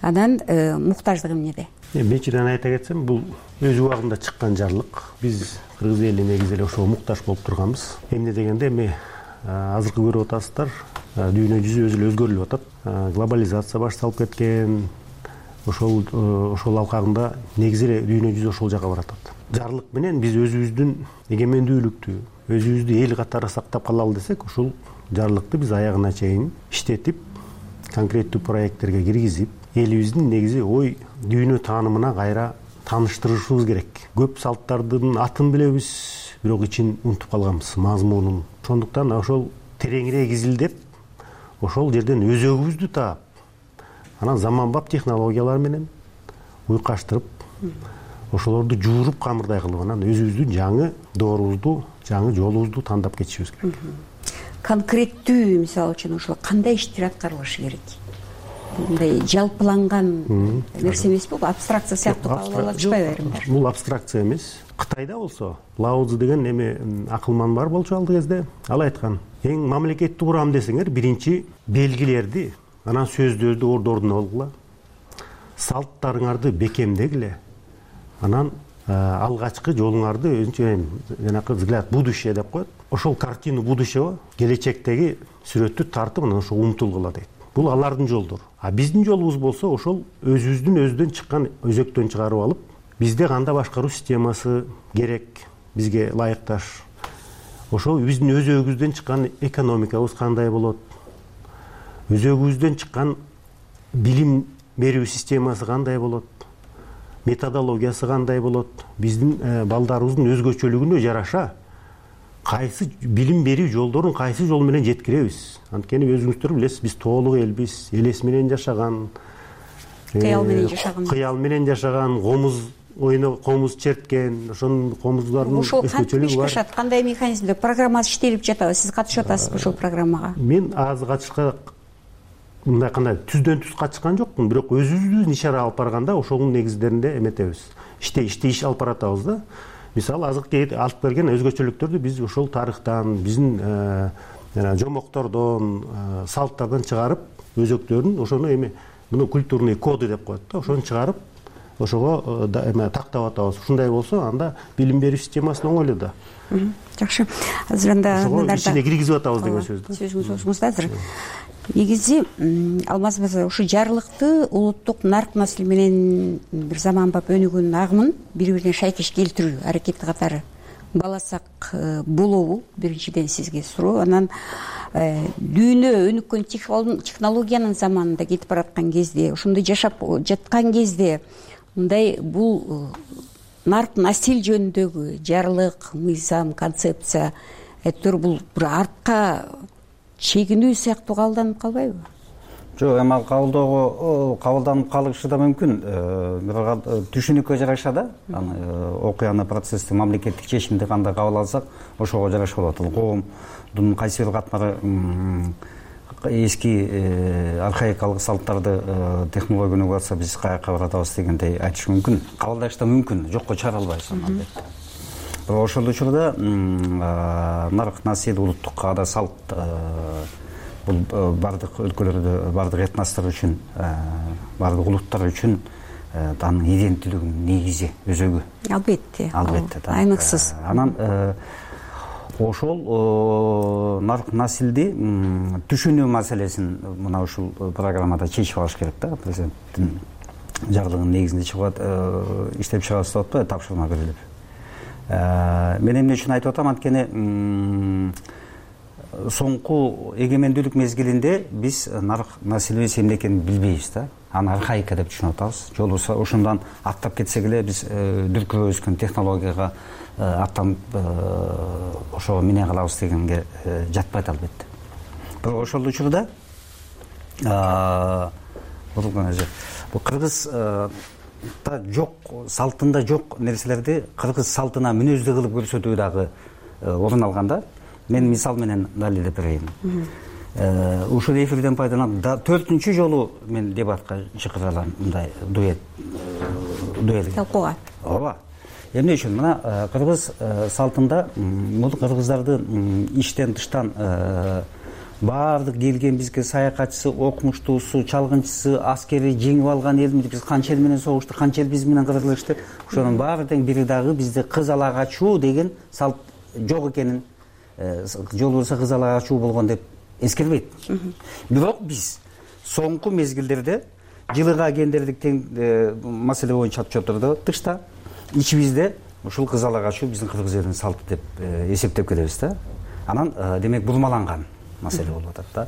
Анан муктаждыгы эмнеде? Биринчиден айта кетсем, бул өз убагында чыккан жарлык. Биз кыргыз эли негизи эле ошого муктаж болуп турганбыз. Эмне дегенде, эми азыркы көрүп атасыздар, дүйнө жүзү өзү эле өзгөрүп атат. Глобализация баш салып кеткен. Ошол ошол алкагында негизи эле дүйнө жүзү ошол жака баратат. Жарлык менен биз өзүбүздүн эгемендүүлүктү, өзүбүздү эл катары сактап калалы десек, ушул жарлыкты биз аягына чейин иштетип, конкреттүү проекттерге киргизип, элибиздин негизи ой дүйнө таанымына кайра тааныштырышыбыз керек. Көп салттардын атын билебиз, бирок ичин унутуп калганбыз, мазмунун. Ошондуктан ошол тереңирээк изилдеп, ошол жерден өзөгүбүздү таап, анан заманбап технологиялар менен уйкаштырып, ошолорду жууруп камырдай кылып, анан өзүбүздүн жаңы доорубузду, жаңы жолубузду тандап кетишибиз керек. Конкреттүү, мисалы үчүн, ошол кандай иштер аткарылышы керек? Мындай жалпыланган нерсе эмеспи? Бул абстракция сыяктуу кабыл алып атышпайбы айрымдар? Бул абстракция эмес. Кытайда болсо, Лаоцзы деген эме акылман бар болчу алды кезде. Ал айткан, эң мамлекетти курам десеңер, биринчи белгилерди, анан сөздөрдү ордордуна алгыла, салттарыңарды бекемдегиле, анан алгачкы жолуңарды өзүнчө жанакы взгляд будущее деп коет. Ошол картину будущего, келечектеги сүрөттү тартып, анан ошо умтулгула дейт. Бул алардын жолдору. А биздин жолубуз болсо, ошол өзүбүздүн өздөн чыккан өзөктөн чыгарып алып, бизде кандай башкаруу системасы керек, бизге ылайыкташ. Ошол биздин өзөгүбүздөн чыккан экономикабыз кандай болот? Өзөгүбүздөн чыккан билим берүү системасы кандай болот? Методологиясы кандай болот? Биздин балдарыбыздын өзгөчөлүгүнө жараша кайсы билим берүү жолдорун кайсы жол менен жеткиребиз? Анткени өзүңүздөр билесиз, биз тоолук элбиз, элес менен жашаган, кыял менен жашаган, кыял менен жашаган, комуз ойно, комуз черткен, ошонун комуздардын өзгөчөлүгү бар. Ошол кантип кандай механизмде программасы иштелип жатабы? Сиз катышып атасызбы ошол программага? Мен азыр катышка мындай кандай түздөн түз катышкан жокмун, бирок өзүбүздүн ишара алып барганда ошонун негиздеринде эметебиз. Иште иште иш алып баратабыз да. Мисалы азыркы алып келген өзгөчөлүктөрдү биз ошол тарыхтан, биздин жана жомоктордон, салттардан чыгарып, өзөктөрүн, ошону эми муну культурный коды деп коет да, ошону чыгарып, ошого эме тактап атабыз. Ушундай болсо, анда билим берүү системасы оңойлу да. Жакшы. Азыр анда ошого ичине киргизип атабыз деген сөз да. Сөзүңүз өзүңүздө азыр. негизи Алмаз мырза ушу жарлыкты улуттук нарк маселе менен бир заманбап өнүгөн агымын бири бирине шайкеш келтирүү аракети катары бааласак болобу? Биринчиден сизге суроо. Анан дүйнө өнүккөн технологиянын заманында кетип бараткан кезде, ошондой жашап жаткан кезде мындай бул нарк насил жөнүндөгү жарлык, мыйзам, концепция әйтеуір бул бир артка чегинүү сыяктуу кабылданып калбайбы? Жок, эми ал кабылдоого кабылданып калышы да мүмкүн. Бирок түшүнүккө жараша да, окуяны, процессти, мамлекеттик чечимди кандай кабыл алсак, ошого жараша болот. Ал коомдун кайсы бир катмары эски архаикалык салттарды технология өнүгүп атса, биз каяка баратабыз дегендей айтыш мүмкүн. Кабылдаш да мүмкүн, жокко чыгара албайбыз албетте. Бирок ошол учурда нарк насил, улуттук каада салт бул бардык өлкөлөрдө, бардык этностор үчүн, бардык улуттар үчүн анын иденттүүлүгүнүн негизи, өзөгү. Албетте. Албетте. Айныксыз. Анан ошол нарк насилди түшүнүү маселесин мына ушул программада чечип алыш керек да. Президенттин жарлыгынын негизинде чыгып иштеп чыгабыз деп атпайбы, тапшырма берилип. Мен эмне үчүн айтып атам, анткени соңку эгемендүүлүк мезгилинде биз нарк насилибиз эмне экенин билбейбиз да. Аны архаика деп түшүнүп атабыз. Же болбосо ошондон аттап кетсек эле биз дүркүрөп өскөн технологияга аттанып ошого мине калабыз дегенге жатпайт албетте. Бирок ошол учурда бул кыргыз жок, салтында жок нерселерди кыргыз салтына мүнөздүү кылып көрсөтүү дагы орун алганда, мен мисал менен далилдеп берейин. Ушул эфирден пайдаланып төртүнчү жолу мен дебатка чакыралам, мындай дуэт дуэлге. Талкууга. Ооба. Эмне үчүн? Мына кыргыз салтында бул кыргыздардын иштен тыштан баардык келген бизге саякатчысы, окумуштуусу, чалгынчысы, аскери жеңип алган элмиз, биз канча эл менен согуштук, канча эл биз менен кырылышты. Ошонун баарынын бири дагы бизде кыз ала качуу деген салт жок экенин, жол болсо кыз ала качуу болгон деп эскербейт. Бирок биз соңку мезгилдерде жылыга гендердик тең маселе боюнча отчеттордо тышта ичибизде ушул кыз ала качуу биздин кыргыз элинин салты деп эсептеп келебиз да. Анан демек бурмаланган маселе болуп атат да.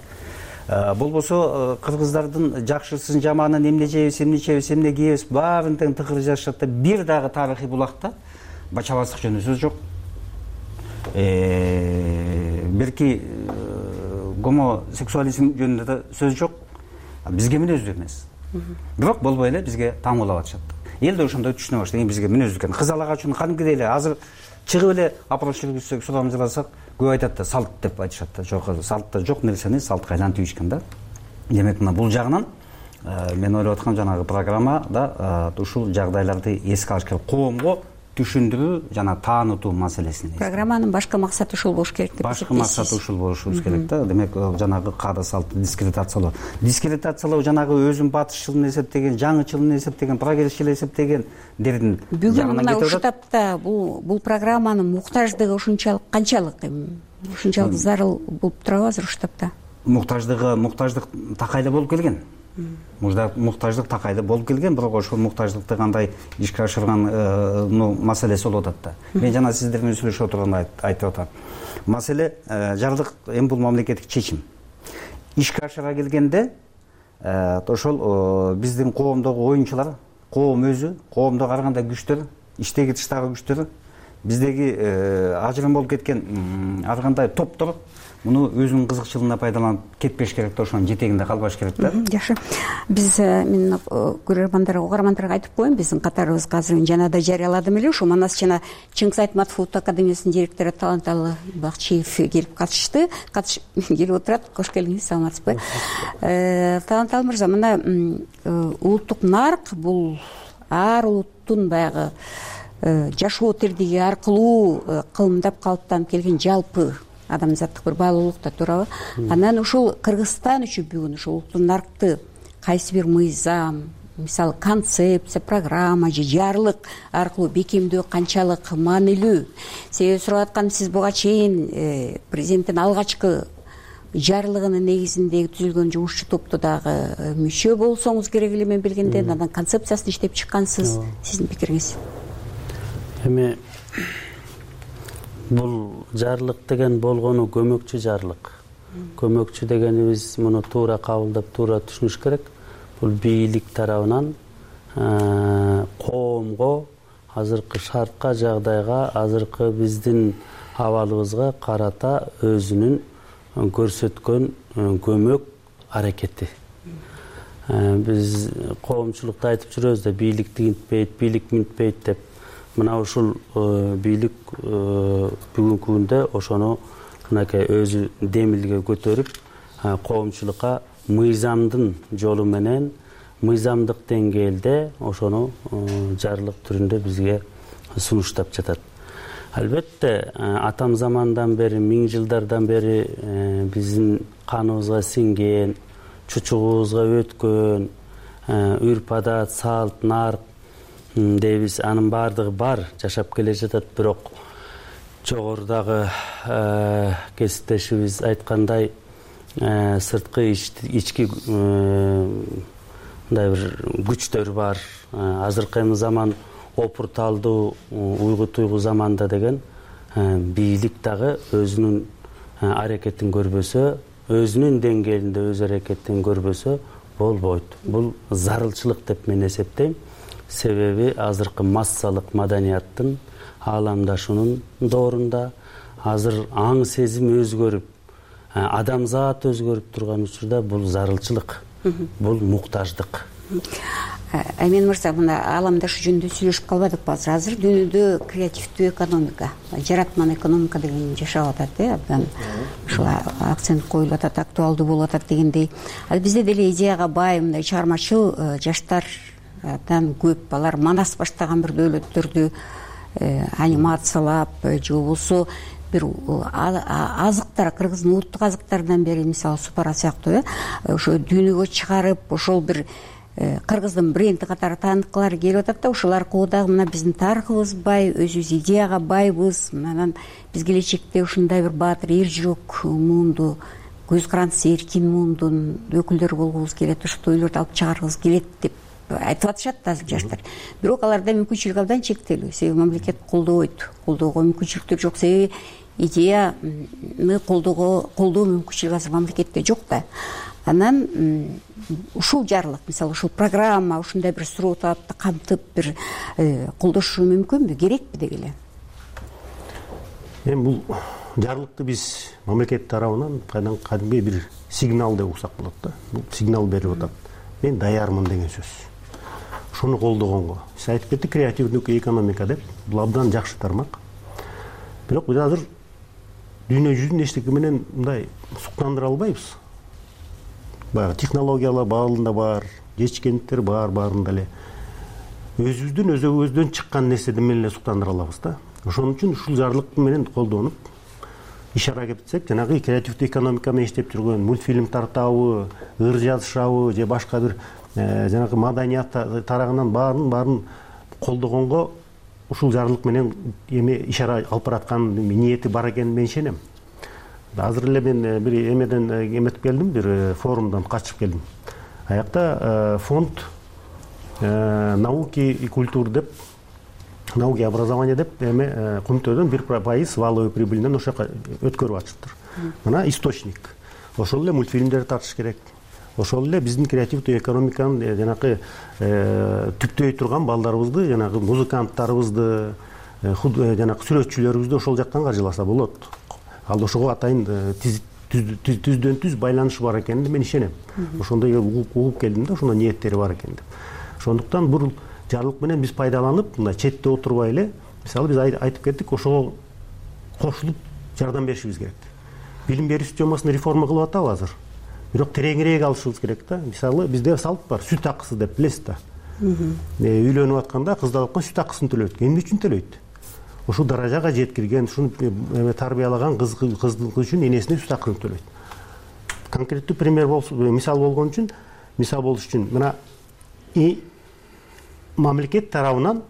Болбосо кыргыздардын жакшысын, жаманын, эмне жейбиз, эмне ичебиз, эмне кийебиз, баарын тең тыкыр жазышат да. Бир дагы тарыхый булакта бачабаздык жөнүндө сөз жок. Берки гомосексуализм жөнүндө да сөз жок. Бизге мүнөздүү эмес. Бирок болбой эле бизге таң улап атышат. Эл да ошондой түшүнө баштаган, бизге мүнөздүү экен. Кыз ала качууну кадимкидей эле азыр чыгып эле опрос жүргүзсөк, сурамжыласак, көп айтат да, салт деп айтышат да. Жок, салтта жок нерсени салтка айлантып ийишкен да. Демек мына бул жагынан мен ойлоп аткам, жанагы программада ушул жагдайларды эске алыш керек. Коомго түшүндүрүү жана таанытуу маселесин. Программанын башкы максаты ушул болуш керек деп эсептейсиз. Башкы максаты ушул болушубуз керек да. Демек жанагы каада салтты дискредитациялоо. Дискредитациялоо жанагы өзүн батышчыл эсептеген, жаңычыл эсептеген, прогрессчил эсептеген дердин бүгүн мына ушул тапта бул бул программанын муктаждыгы ушунчалык канчалык эми? Ушунчалык зарыл болуп турабы азыр ушул тапта? Муктаждыгы, муктаждык такайлы болуп келген. Муктаждык такайды болуп келген, бирок ошол муктаждыкты кандай ишке ашырган маселеси болуп атат да. Мен жана сиздер менен сүйлөшүп отурганда айтып атам. Маселе жарлык эми бул мамлекеттик чечим. Ишке ашыра келгенде ошол биздин коомдогу оюнчулар, коом өзү, коомдо ар кандай күчтөр, иштеги тыштагы күчтөр, биздеги ажырым болуп кеткен ар кандай топтор муну өзүнүн кызыкчылыгына пайдаланып кетпеш керек да, ошонун жетегинде калбаш керек да. Жакшы. Биз мен көрөрмандарга, угармандарга айтып коеюн, биздин катарыбызга азыр жана да жарыяладым эле, ушу Манас жана Чыңгыз Айтматов улуттук академиясынын директору Таланталы Бакчиев келип катышты. Катышып келип отурат. Кош келиңиз, саламатсызбы? Таланталы мырза, мына улуттук нарк бул ар улуттун баягы жашоо тирдиги аркылуу кылымдап калыптанып келген жалпы адамзаттык бир баалуулук да, туурабы? Анан ушул Кыргызстан үчүн бүгүн ушул улуттук наркты кайсы бир мыйзам, мисалы концепция, программа же жарлык аркылуу бекемдөө канчалык маанилүү? Себеби сурап атканым, сиз буга чейин президенттин алгачкы жарлыгынын негизинде түзүлгөн жумушчу топту дагы мүчө болсоңуз керек эле мен билгенде. Анан концепциясын иштеп чыккансыз. Сиздин пикириңиз? Эми бул жарлык деген болгону көмөкчү жарлык. Көмөкчү дегенибиз муну туура кабылдап, туура түшүнүш керек. Бул бийлик тарабынан коомго, азыркы шартка, жагдайга, азыркы биздин абалыбызга карата өзүнүн көрсөткөн көмөк аракети. Биз коомчулукта айтып жүрөбүз да, бийлик тигинтпейт, бийлик минтпейт деп. Мына ушул бийлик бүгүнкү күндө ошону мынакей өзү демилге көтөрүп, коомчулукка мыйзамдын жолу менен, мыйзамдык деңгээлде ошону жарлык түрүндө бизге сунуштап жатат. Албетте, атам замандан бери, миң жылдардан бери биздин каныбызга сиңген, чучугубузга өткөн үрп адат, салт, нарк дейбиз, анын баардыгы бар, жашап келе жатат. Бирок жогорудагы кесиптешибиз айткандай, сырткы ички мындай бир күчтөр бар. Азыркы эми заман опурталдуу, уйгу туйгу заманда деген бийлик дагы өзүнүн аракетин көрбөсө, өзүнүн деңгээлинде өз аракетин көрбөсө болбойт. Бул зарылчылык деп мен эсептейм. Себеби азыркы массалык маданияттын ааламдашуунун доорунда азыр аң сезим өзгөрүп, адамзат өзгөрүп турган учурда бул зарылчылык, бул муктаждык. Аймен мырза, мына ааламдашуу жөнүндө сүйлөшүп калбадыкпы азыр? Азыр дүйнөдө креативдүү экономика, жаратман экономика деген жашап атат, э, абдан ушул акцент коюлуп атат, актуалдуу болуп атат дегендей. Ал бизде деле идеяга бай мындай чыгармачыл жаштардан көп. Алар манас баштаган бир дөөлөттөрдү анимациялап же болбосо бир азыктар, кыргыздын улуттук азыктарынан бери, мисалы супара сыяктуу, э, ошо дүйнөгө чыгарып, ошол бир кыргыздын бренди катары тааныткылары келип атат да. Ошол аркылуу дагы мына биздин тарыхыбыз бай, өзүбүз идеяга байбыз. Анан биз келечекте ушундай бир баатыр, эр жүрөк муунду, көз карандысы эркин муундун өкүлдөрү болгубуз келет, ушул ойлорду алып чыгаргыбыз келет деп айтып атышат да азыр жаштар. Бирок аларда мүмкүнчүлүк абдан чектелүү. Себеби мамлекет колдобойт, колдоого мүмкүнчүлүктөр жок. Себеби идеяны колдоого колдоо мүмкүнчүлүгү азыр мамлекетте жок да. Анан ушул жарлык, мисалы ушул программа ушундай бир суроо талапты камтып бир колдошу мүмкүнбү, керекпи деги эле? Эми бул жарлыкты биз мамлекет тарабынан кадимки бир сигнал деп уксак болот да. Бул сигнал берип атат. Мен даярмын деген сөз. Ошону колдогонго. Сиз айтып кеттик, креативдүү экономика деп. Бул абдан жакшы тармак. Бирок биз азыр дүйнө жүзүн эчтеке менен мындай суктандыра албайбыз. Баягы технологиялар баалында бар, жетишкендиктер бар, баарында эле өзүбүздүн өзүбүздөн чыккан нерседен менен эле суктандыра алабыз да. Ошон үчүн ушул жарлык менен колдонуп иш аракет этсек, жанагы креативдүү экономика менен иштеп жүргөн мультфильм тартабы, ыр жазышабы же башка бир жанагы маданият тарагынан баарын баарын колдогонго ушул жарлык менен эме ишара алып бараткан ниети бар экенин мен ишенем. Азыр эле мен бир эмеден эметип келдим, бир форумдан качып келдим. Аякта фонд науки и культур деп, науки и образование деп эме кумтөөдөн бир пайыз валовый прибыльден ошо өткөрүп атышыптыр. Мына источник. Ошол эле мультфильмдерди тартыш керек. Ошол эле биздин креативдүү экономиканын жанагы түптөй турган балдарыбызды, жанагы музыканттарыбызды, жанагы сүрөтчүлөрүбүздү ошол жактан каржыласа болот. Ал ошого атайын түздөн түз байланышы бар экенине мен ишенем. Ошондой угуп келдим да, ошондой ниеттери бар экен деп. Ошондуктан бул жарлык менен биз пайдаланып, мындай четте отурбай эле, мисалы биз айтып кеттик, ошого кошулуп жардам беришибиз керек. Билим берүү системасын реформа кылып атабы азыр. Бирок тереңирээк алышыбыз керек да. Мисалы бизде салт бар, сүт акысы деп билесиз да. Үйлөнүп атканда кыз алып сүт акысын төлөйт. Эмне үчүн төлөйт? Ушул даражага жеткирген, ушуну тарбиялаган кыздын үчүн энесине сүт акысын төлөйт. Конкреттүү пример болсо, мисал болгон үчүн, мисал болуш үчүн мына мамлекет тарабынан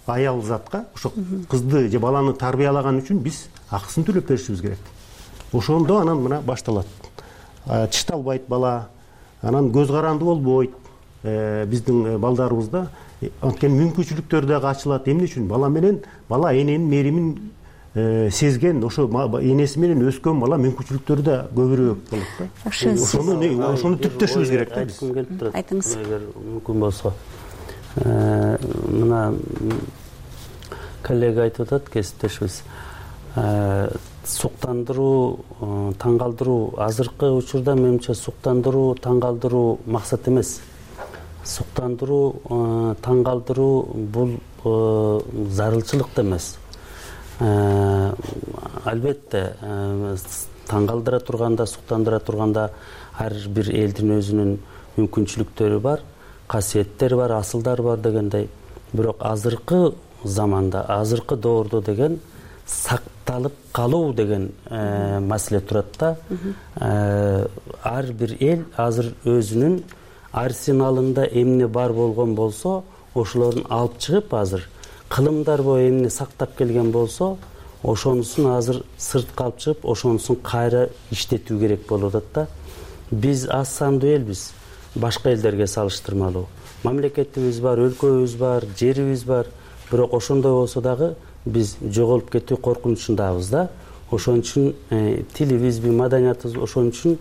аял затка ошо кызды же баланы тарбиялаган үчүн биз акысын төлөп беришибиз керек. ошондо анан мына башталат. Тишталбайт бала, анан көз каранды болбойт. Биздин балдарыбызда анткени мүмкүнчүлүктөр дагы ачылат. Эмне үчүн? Бала менен бала эненин меримин сезген, ошо энеси менен өскөн бала мүмкүнчүлүктөрү да көбүрөөк болот да. Ошону ошону түптөшүбүз керек да биз. Айтыңыз. Эгер мүмкүн болсо. Мына коллега айтып атат, кесиптешибиз. Суктандыруу, таң калтыруу азыркы учурда менимче суктандыруу, таң калтыруу максат эмес. Суктандыруу, таң калтыруу бул зарылчылык да эмес. Албетте таң калтыра турганда, суктандыра турганда ар бир элдин өзүнүн мүмкүнчүлүктөрү бар, касиеттери бар, асылдары бар дегендей. Бирок азыркы заманда, азыркы доордо деген сакталып калуу деген маселе турат да. Ар бир эл азыр өзүнүн арсеналында эмне бар болгон болсо, ошолорун алып чыгып азыр кылымдар бою эмне сактап келген болсо, ошонусун азыр сыртка алып чыгып, ошонусун кайра иштетүү керек болуп атат да. Биз аз сандуу элбиз, башка элдерге салыштырмалуу. Мамлекетибиз бар, өлкөбүз бар, жерибиз бар. Бирок ошондой болсо дагы биз жоголуп кетүү коркунучундабыз да. Ошон үчүн тилибизби, маданиятыбыз ошон үчүн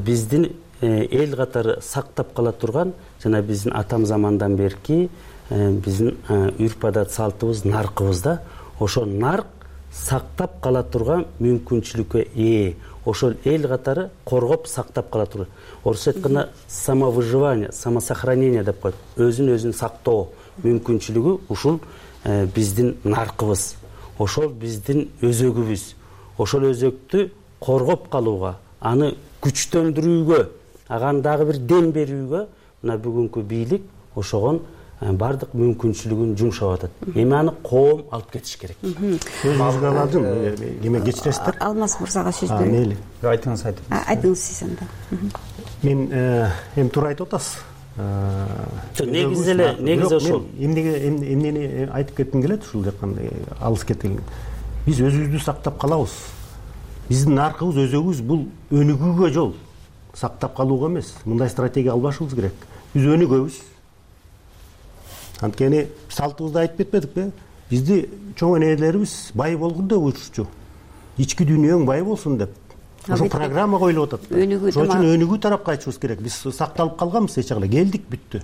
биздин эл катары сактап кала турган жана биздин атам замандан берки биздин үрп адат салтыбыз, наркыбыз да. Ошол нарк сактап кала турган мүмкүнчүлүккө ээ. Ошол эл катары коргоп сактап кала турган. Орусча айтканда самовыживание, самосохранение деп коет. Өзүн өзүн сактоо мүмкүнчүлүгү ушул биздин наркыбыз. Ошол биздин өзөгүбүз. Ошол өзөктү коргоп калууга, аны күчтөндүрүүгө, ага дагы бир дем берүүгө мына бүгүнкү бийлик ошогон бардык мүмкүнчүлүгүн жумшап атат. Эми аны коом алып кетиш керек. Өзүңүзгө аладым, эме кечиресиздер. Алмаз мырзага сөз берейин. Мейли. Айтыңыз, айтыңыз. Айтыңыз сиз анда. Мен эми туура айтып атасыз. Негизи эле, негизи ошол. Эмнеге эмнени айтып кетким келет, ушул жаккан алыс кеткен. Биз өзүбүздү сактап калабыз. Биздин наркыбыз, өзөгүбүз бул өнүгүүгө жол, сактап калууга эмес. Мындай стратегия албашыбыз керек. Биз өнүгөбүз. Анткени салтыбызды айтып кетпедикпи? Бизди чоң энелерибиз бай болгон деп уйрушчу. Ички дүйнөң бай болсун деп. Ошо программа коюлуп атат. Ошон үчүн өнүгүү тарапка кайтышыбыз керек. Биз сакталып калганбыз эч жагда. Келдик, бүттү.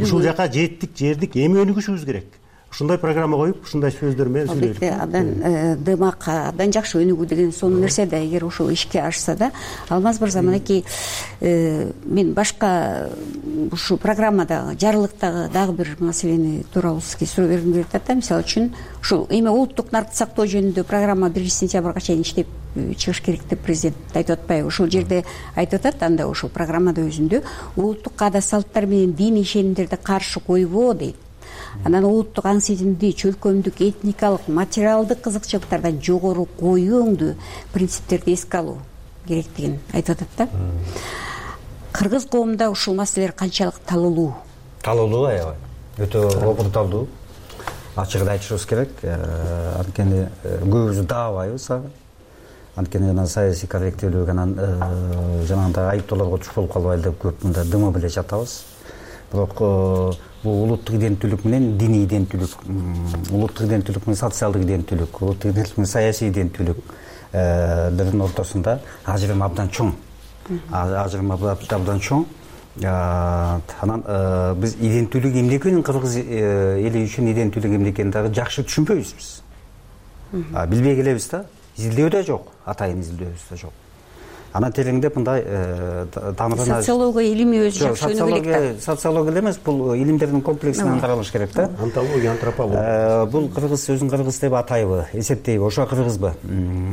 Ушул жака жеттик, жердик. Эми өнүгүшүбүз керек. Ушундай программа коюп, ушундай сөздөр менен сүйлөйбүз. Албетте, абдан дымак, абдан жакшы өнүгүү деген сонун нерсе да, эгер ошол ишке ашса да. Алмаз мырза, мынакей мен башка ушу программадагы, жарлыктагы дагы бир маселени тууралуу сизге суроо бергим келип атат да. Мисалы үчүн ушул эми улуттук наркты сактоо жөнүндө программа биринчи сентябрга чейин иштеп чыгыш керек деп президент айтып атпайбы? Ушул жерде айтып атат, анда ушул программада өзүндө улуттук аада салттар менен диний ишенимдерди каршы койбоо дейт. Анан улуттук аң сезимди, чөлкөмдүк, этникалык, материалдык кызыкчылыктардан жогору коюу өңдүү принциптерди эске алуу керектигин айтып атат да. Кыргыз коомунда ушул маселелер канчалык талуулуу? Талуулуу, аябай. Өтө опурталдуу. Ачыгын айтышыбыз керек. Анткени көбүбүз даабайбыз. Анткени жана саясий корректүүлүк, анан жанагындай айыптоолорго туш болуп калбайлы деп көп мында дымы беле жатабыз. Бирок бул улуттук иденттүүлүк менен диний иденттүүлүк, улуттук иденттүүлүк менен социалдык иденттүүлүк, улуттук иденттүүлүк менен саясий иденттүүлүктөрдүн ортосунда ажырым абдан чоң. Ажырым абдан чоң. Анан биз иденттүүлүк эмне экенин, кыргыз эли үчүн иденттүүлүк эмне экенин дагы жакшы түшүнбөйбүз биз. Билбей келебиз да. Изилдөө да жок, атайын изилдөөбүз да жок. Анан тереңдеп мындай тамырына социология илими өзү жакшы өнүгүлүк да. Социология эле эмес, бул илимдердин комплексинен каралыш керек да. Антология, антропология. Бул кыргыз өзүн кыргыз деп атайбы, эсептейби, ошо кыргызбы?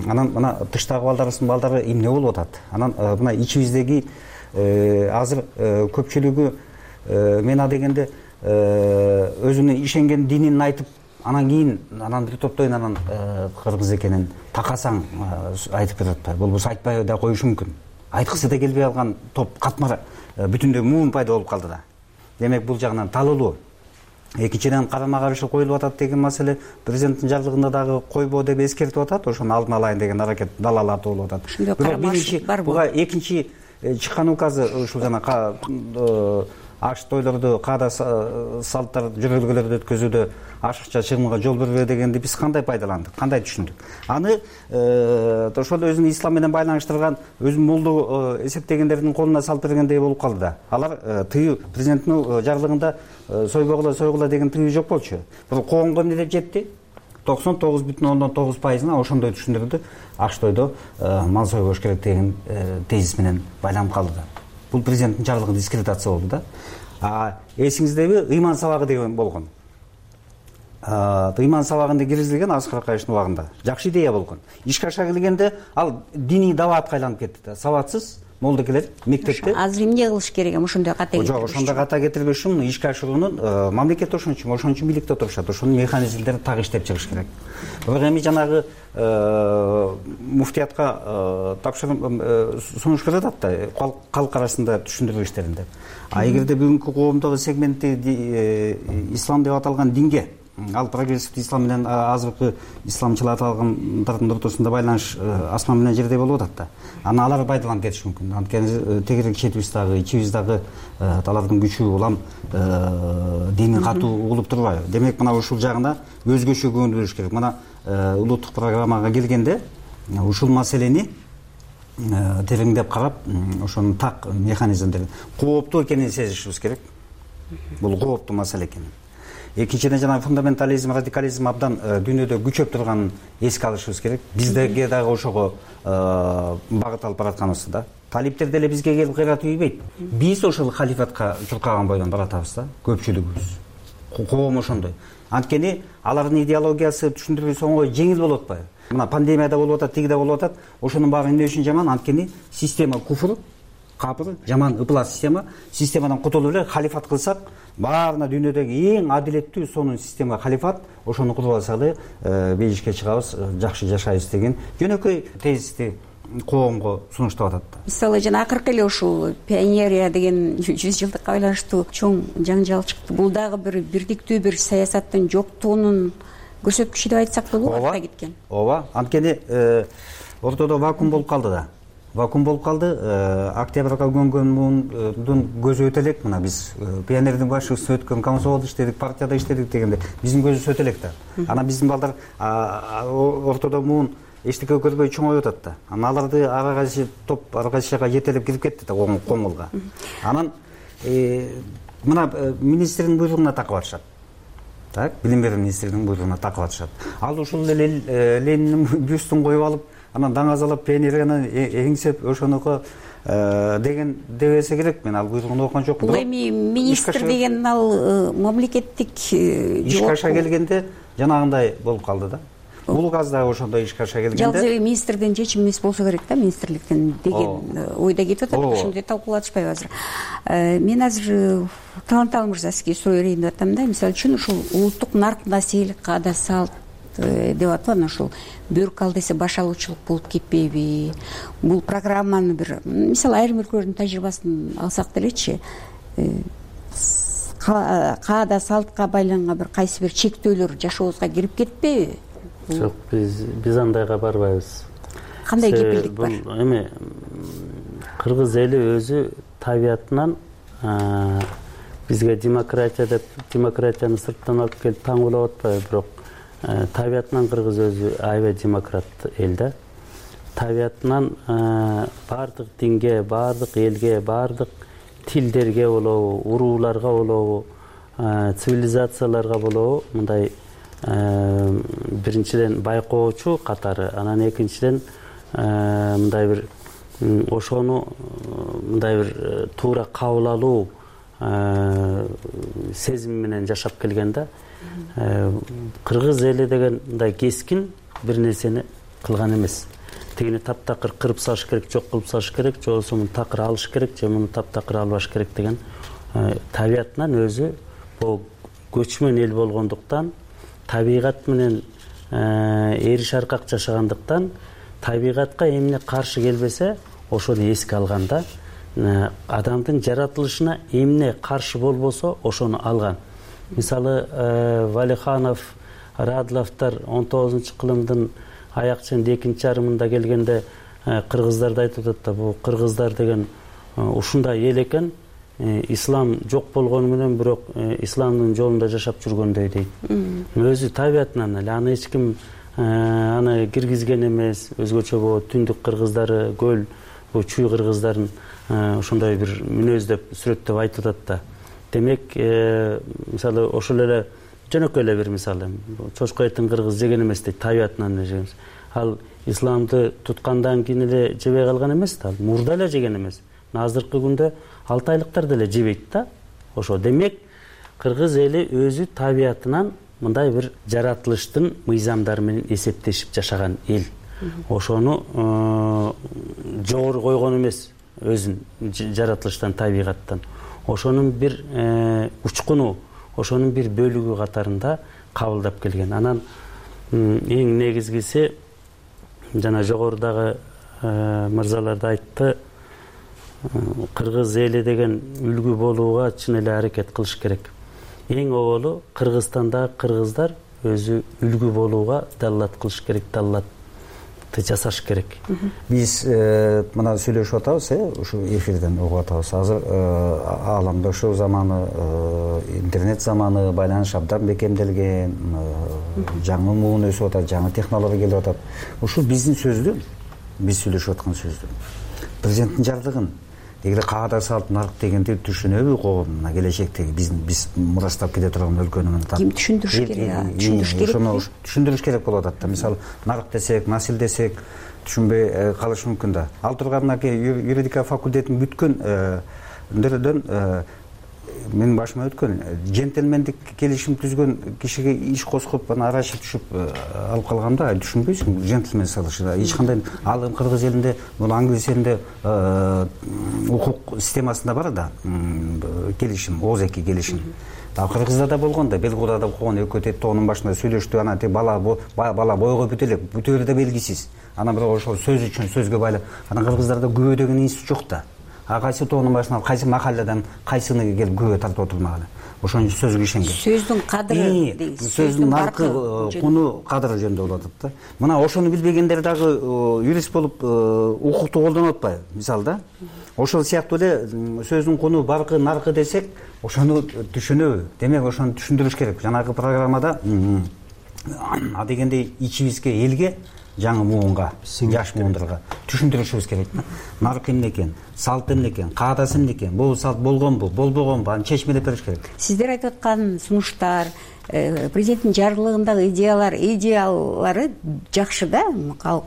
Анан мына тыштагы балдарыбыздын балдары эмне болуп атат? Анан мына ичибиздеги азыр көпчүлүгү мена дегенде өзүнүн ишенген динин айтып, анан кийин анан бир топтойн анан кыргыз экенин такасаң айтып кетет. Болбосо айтпай да коюшу мүмкүн. Айткысы да келбей алган топ катмар бүтүндөй муун пайда болуп калды да. Демек бул жагынан талуулуу. экинчиден карама каршы коюлуп атат деген маселе президенттин жарлыгында дагы койбоо деп эскертип атат. Ошону алдын алайын деген аракет далаларда болуп атат. Бирок биринчи буга экинчи чыккан указы ушул жана аш тойлорду, каада салттар, жөрөлгөлөрдү өткөзүүдө ашыкча чыгымга жол бербөө дегенди биз кандай пайдаландык, кандай түшүндүк? Аны ошол өзүнүн ислам менен байланыштырган өзүнүн молду эсептегендердин колуна салып бергендей болуп калды да. Алар тыюу президенттин жарлыгында сойбогула сойгула деген тыюу жок болчу. Бирок коомго эмне деп жетти? токсон тогуз бүтүн ондон тогуз пайызына ошондой түшүндүрдү. Аш тойдо мал сойбош керек деген тезис менен байланып калды да. Бул президенттин жарлыгы дискредитация болду да. А эсиңиздеби, ыйман сабагы деген болгон. Ыйман сабагында киргизилген Аскар Акаевдин убагында. Жакшы идея болгон. Ишке аша келгенде ал диний даваатка айланып кетти да. Сабатсыз молдокелер мектепте. Азыр эмне кылыш керек? Ошондой ката кетирбеш. Жок, ошондой ката кетирбеш үчүн ишке ашыруунун мамлекет ошон үчүн, ошон үчүн бийликте отурушат. Ошонун механизмдерин так иштеп чыгыш керек. Бирок эми жанагы муфтиятка тапшырып сунуш берип атат да, калк арасында түшүндүрүү иштеринде. А эгерде бүгүнкү коомдогу сегментти ислам деп аталган динге, ал прогрессивдүү ислам менен азыркы исламчыл аталгандардын ортосунда байланыш асман менен жердей болуп атат да. Аны алар пайдаланып кетиши мүмкүн. Анткени тегерек четибиз дагы, ичибиз дагы алардын күчү улам дини катуу угулуп турбайбы. Демек мына ушул жагына өзгөчө көңүл буруш керек. Мына улуттук программага келгенде ушул маселени тереңдеп карап, ошонун так механизмдерин кооптуу экенин сезишибиз керек. Бул кооптуу маселе экен. Экинчиден жана фундаментализм, радикализм абдан дүйнөдө күчөп турганын эске алышыбыз керек. Биздерге дагы ошого багыт алып баратканыбызды да. Талиптер деле бизге келип кыйрат үйбөйт. Биз ошол халифатка чуркаган бойдон баратабыз да, көпчүлүгүбүз. Коом ошондой. Анткени алардын идеологиясы түшүндүрүүсү оңой, жеңил болуп атпайбы? Мына пандемияда болуп атат, тигиде болуп атат. Ошонун баары эмне үчүн жаман? Анткени система куфур, капыр, жаман ыплас система. Системадан кутулуп эле халифат кылсак, баарына дүйнөдөгү эң адилеттүү сонун система халифат. Ошону кутуп алсак эле бейишке чыгабыз, жакшы жашайбыз деген жөнөкөй тезисти коомго сунуштап атат да. Мисалы жана акыркы эле ушул пионерия деген жүз жылдыкка байланыштуу чоң жаңжал чыкты. Бул дагы бир бирдиктүү бир саясаттын жоктугунун көрсөткүчү деп айтсак болобу, артка кеткен. Ооба, анткени ортодо вакуум болуп калды да. Вакуум болуп калды. Октябрга көнгөн муундун көзү өтө элек. Мына биз пионердин башчысы өткөн комсомолдо иштедик, партияда иштедик дегенде биздин көзүбүз өтө элек да. Анан биздин балдар ортодо муун эчтеке көрбөй чоңоюп атат да. Анан аларды ара кайсы топ ара кайсы жака жетелеп кирип кетти да коңгулга. Анан мына министрдин буйругуна такып атышат. Так, билим берүү министринин буйругуна такып атышат. Ал ушул эле Ленинин бюстун коюп алып, анан даңазалап пионерияны эңсеп ошонуко деген дебесе керек. Мен ал буйругун окуган жокмун. Бул эми министр деген ал мамлекеттик ишке аша келгенде жанагындай болуп калды да. Бул указ да ошондой ишке аша келгенде жалгыз эле министрдин чечими эмес болсо керек да, министрликтен деген ойдо кетип атат. Ошондой талкуулап атышпайбы азыр? Мен азыр Таланталы мырза сизге суроо берейин деп атам да. Мисалы үчүн ушул улуттук нарк маселелик каада салт деп атып анан ушул бөрк ал десе баш алуучулук болуп кетпейби? Бул программаны бир мисалы айрым өлкөлөрдүн тажрыйбасын алсак делечи, каада салтка байланган бир кайсы бир чектөөлөр жашообузга кирип кетпейби? Жок, биз биз андайга барбайбыз. Кандай кепилдик бар? Бул эми кыргыз эли өзү табиятынан бизге демократия деп демократияны сырттан алып келип таңуулап атпайбы, бирок табиятынан кыргыз өзү аябай демократ эл да. Табиятынан баардык динге, баардык элге, баардык тилдерге болобу, урууларга болобу, цивилизацияларга болобу мындай биринчиден байкоочу катары, анан экинчиден мындай бир ошону мындай бир туура кабыл алуу сезим менен жашап келген да. Кыргыз эли деген мындай кескин бир нерсени кылган эмес. Тигини таптакыр кырып салыш керек, жок кылып салыш керек, же болбосо муну такыр алыш керек, же муну таптакыр албаш керек деген табиятынан өзү бул көчмөн эл болгондуктан, табигат менен эриш аркак жашагандыктан, табигатка эмне каршы келбесе ошону эске алган да. Адамдын жаратылышына эмне каршы болбосо ошону алган. мисалы Валиханов, Радловдор он тогузунчу кылымдын аяк ченинде экинчи жарымында келгенде кыргыздарды айтып атат да, бул кыргыздар деген ушундай эл экен, ислам жок болгону менен бирок исламдын жолунда жашап жүргөндөй дейт. Өзү табиятынан эле аны эч ким аны киргизген эмес. Өзгөчө болот, түндүк кыргыздары, көл, бул чүй кыргыздарын ошондой бир мүнөз деп сүрөттөп айтып атат да. Демек, мисалы ошол эле жөнөкөй эле бир мисалы, чочко этин кыргыз жеген эмес дейт, табиятынан эле жеген. Ал исламды туткандан кийин эле жебей калган эмес да, мурда эле жеген эмес. Азыркы күндө алтайлыктар деле жебейт да. Ошо демек, кыргыз эли өзү табиятынан мындай бир жаратылыштын мыйзамдары менен эсептешип жашаган эл. Ошону жогору койгон эмес, өзүн жаратылыштан, табигаттан. Ошонун бир учкуну, ошонун бир бөлүгү катарында кабылдап келген. Анан эң негизгиси, жана жогорудагы мырзалар да айтты, кыргыз эли деген үлгү болууга чын эле аракет кылыш керек. Эң оболу Кыргызстандагы кыргыздар өзү үлгү болууга даллат кылыш керек, даллатты жасаш керек. Биз мына сүйлөшүп атабыз, ушу эфирден угуп атабыз. Азыр ааламдаштыруу заманы, интернет заманы, байланыш абдан бекемделген, жаңы муун өсүп атат, жаңы технология келип атат. Ушул биздин сөздү, биз сүйлөшүп аткан сөздү. Президенттин жардыгын эгер каада салып нарк дегенди түшүнөбү коомуна келечектеги биздин биз мурастап кете турган өлкөнүн ким түшүндүрүш керек? Түшүндүрүш керек. Ошону түшүндүрүш керек болуп атат да. Мисалы, нарк десек, насил десек түшүнбөй калышы мүмкүн да. Ал турган юридика факультетин бүткөн дөндөн менин башыма өткөн джентльмендик келишим түзгөн кишиге иш козгоп аны арачы түшүп алып калганда түшүнбөйсүң, джентльмен салышы да. Эч кандай ал кыргыз элинде, бул англис элинде укук системасында бар да, келишим, ооз эки келишим. А кыргызда да болгон да, бел куда да койгон экөө тет тоонун башында сүйлөштү, анан те бала бала бойго бүтө элек, бүтөөрү да белгисиз. Анан бирок ошол сөз үчүн сөзгө байлап, анан кыргыздарда күбө деген институт жок да. А кайсы тоонун башынан, кайсы махалладан кайсыны келип күбө тартып отурмаганы. Ошонун сөзгө ишенген. Сөздүн кадыры дейсиз. Сөздүн наркы, куну, кадыры жөнүндө болуп атат да. Мына ошону билбегендер дагы юрист болуп укукту колдонуп атпайбы? Мисалы да. Ошол сыяктуу эле сөздүн куну, баркы, наркы десек, ошону түшүнөбү? Демек, ошону түшүндүрүш керек. Жанагы программада а дегенде ичибизге, элге, жаңы муунга, жаш муундарга түшүндүрүшүбүз керек. Нарк эмне экен, салт эмне экен, каадасы эмне экен, бул салт болгонбу, болбогонбу, аны чечмелеп бериш керек. Сиздер айтып аткан сунуштар, президенттин жарлыгындагы идеялар, идеялары жакшы да,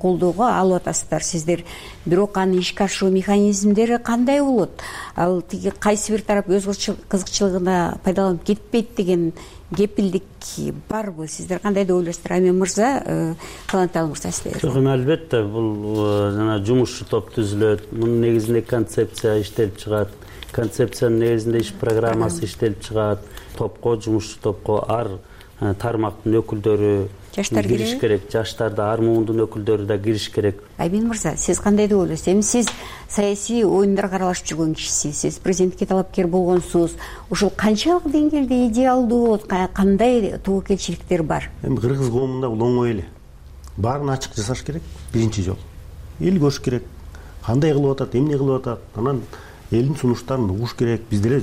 колдоого алып атасыздар сиздер. Бирок аны ишке ашыруу механизмдери кандай болот? Ал тиги кайсы бир тарап өз кызыкчылыгына пайдаланып кетпейт деген кепилдик барбы? Сиздер кандай деп ойлойсуздар? Ами мырза, Калантал мырза, сиздер. Жок, эми албетте бул жана жумушчу топ түзүлөт. Мунун негизинде концепция иштелип чыгат. Концепциянын негизинде иш программасы иштелип чыгат. Топко, жумушчу топко ар тармактын өкүлдөрү кириш керек. Жаштар да, ар муундун өкүлдөрү да кириш керек. Айбин мырза, сиз кандай деп ойлойсуз? Эми сиз саясий оюндарга аралашып жүргөн кишисиз, сиз президентке талапкер болгонсуз. Ушул канчалык деңгээлде идеалдуу, кандай тобокелчиликтер бар? Эми кыргыз коомунда бул оңой эле. Баарын ачык жасаш керек, биринчи жол. Эл көрүш керек. Кандай кылып атат, эмне кылып атат. Анан элдин сунуштарын угуш керек. Биз деле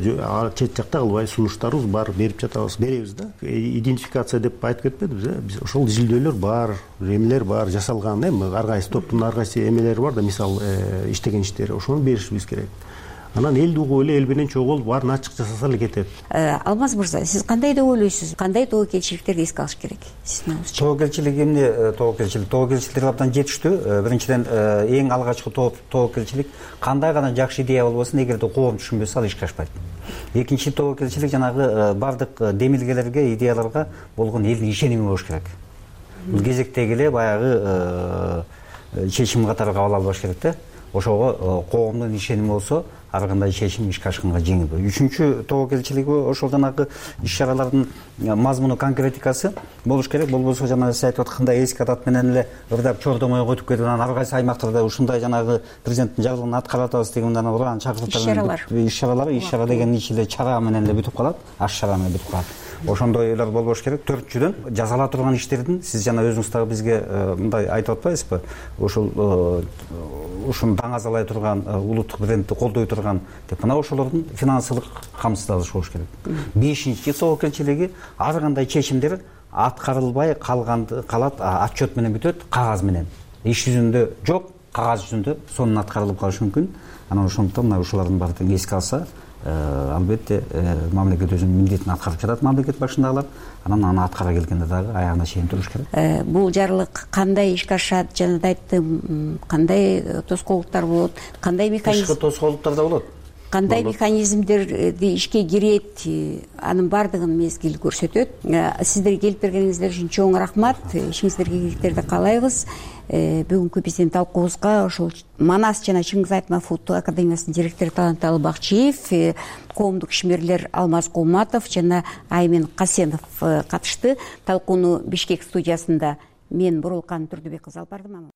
чет жакта кылбай сунуштарыбыз бар, берип жатабыз, беребиз да. Идентификация деп айтып кетпедибиз, э? Биз ошол изилдөөлөр бар, эмелер бар, жасалган, эми ар кайсы топтун ар кайсы эмелери бар да, мисалы, иштеген иштери, ошону беришибиз керек. Анан элди угуп эле, эл менен чогулуп, баарын ачык жасаса эле кетет. Алмаз мырза, сиз кандай деп ойлойсуз? Кандай тобокелчиликтерди эске алыш керек? Тобокелчилик эмне? Тобокелчилик, тобокелчиликтер абдан жетиштүү. Биринчиден, эң алгачкы тобокелчилик кандай гана жакшы идея болбосун, эгерде коом түшүнбөсө, ал ишке ашпайт. Экинчи тобокелчилик жанагы бардык демилгелерге, идеяларга болгон элдин ишеними болуш керек. Бул кезектеги эле баягы чечим катары кабыл албаш керек да. Ошого коомдун ишеними болсо, ар кандай чечим ишке ашканга жеңил. Үчүнчү тобокелчилик ошол жанагы иш-чаралардын мазмуну, конкретикасы болуш керек. Болбосо жанагы сиз айтып аткандай эски адат менен эле ырдап чордомой өтүп кетип, анан ар кайсы аймактарда ушундай жанагы президенттин жарлыгын аткарып атабыз деген уран чакыртуулар, иш-чаралар, иш-чара деген ичинде чара менен эле бүтүп калат, аш чара менен бүтүп калат. ошондой ойлор болбош керек. Төртүнчүдөн жасала турган иштердин сиз жана өзүңүз дагы бизге мындай айтып атпайсызбы? Ошол ушуну даңазалай турган улуттук брендти колдой турган деп мына ошолордун финансылык камсыздалышы болуш керек. Бешинчи согуу кенчелиги ар кандай чечимдер аткарылбай калганды калат, отчет менен бүтөт, кагаз менен. Иш жүзүндө жок, кагаз жүзүндө сонун аткарылып калышы мүмкүн. Анан ошондуктан мына ушулардын баардыгын эске алса, албетте мамлекет өзүнүн милдетин аткарып жатат, мамлекет башындагылар. Анан аны аткара келгенде дагы аягына чейин туруш керек. Бул жарлык кандай ишке ашат, жана да айттым, кандай тоскоолдуктар болот, кандай механизм? Тышкы тоскоолдуктар да болот. Кандай механизмдерди ишке кирет, анын баардыгын мезгил көрсөтөт. Сиздер келип бергениңиздер үчүн чоң рахмат. Ишиңиздерге ийгиликтерди каалайбыз. Бүгүнкү биздин талкуубузга ошол Манас жана Чыңгыз Айтматов академиясынын директору Таланталы Бакчиев, коомдук ишмерлер Алмаз Кулматов жана Аймен Касенов катышты. Талкууну Бишкек студиясында мен Бурулкан Турдубек кызы алып бардым.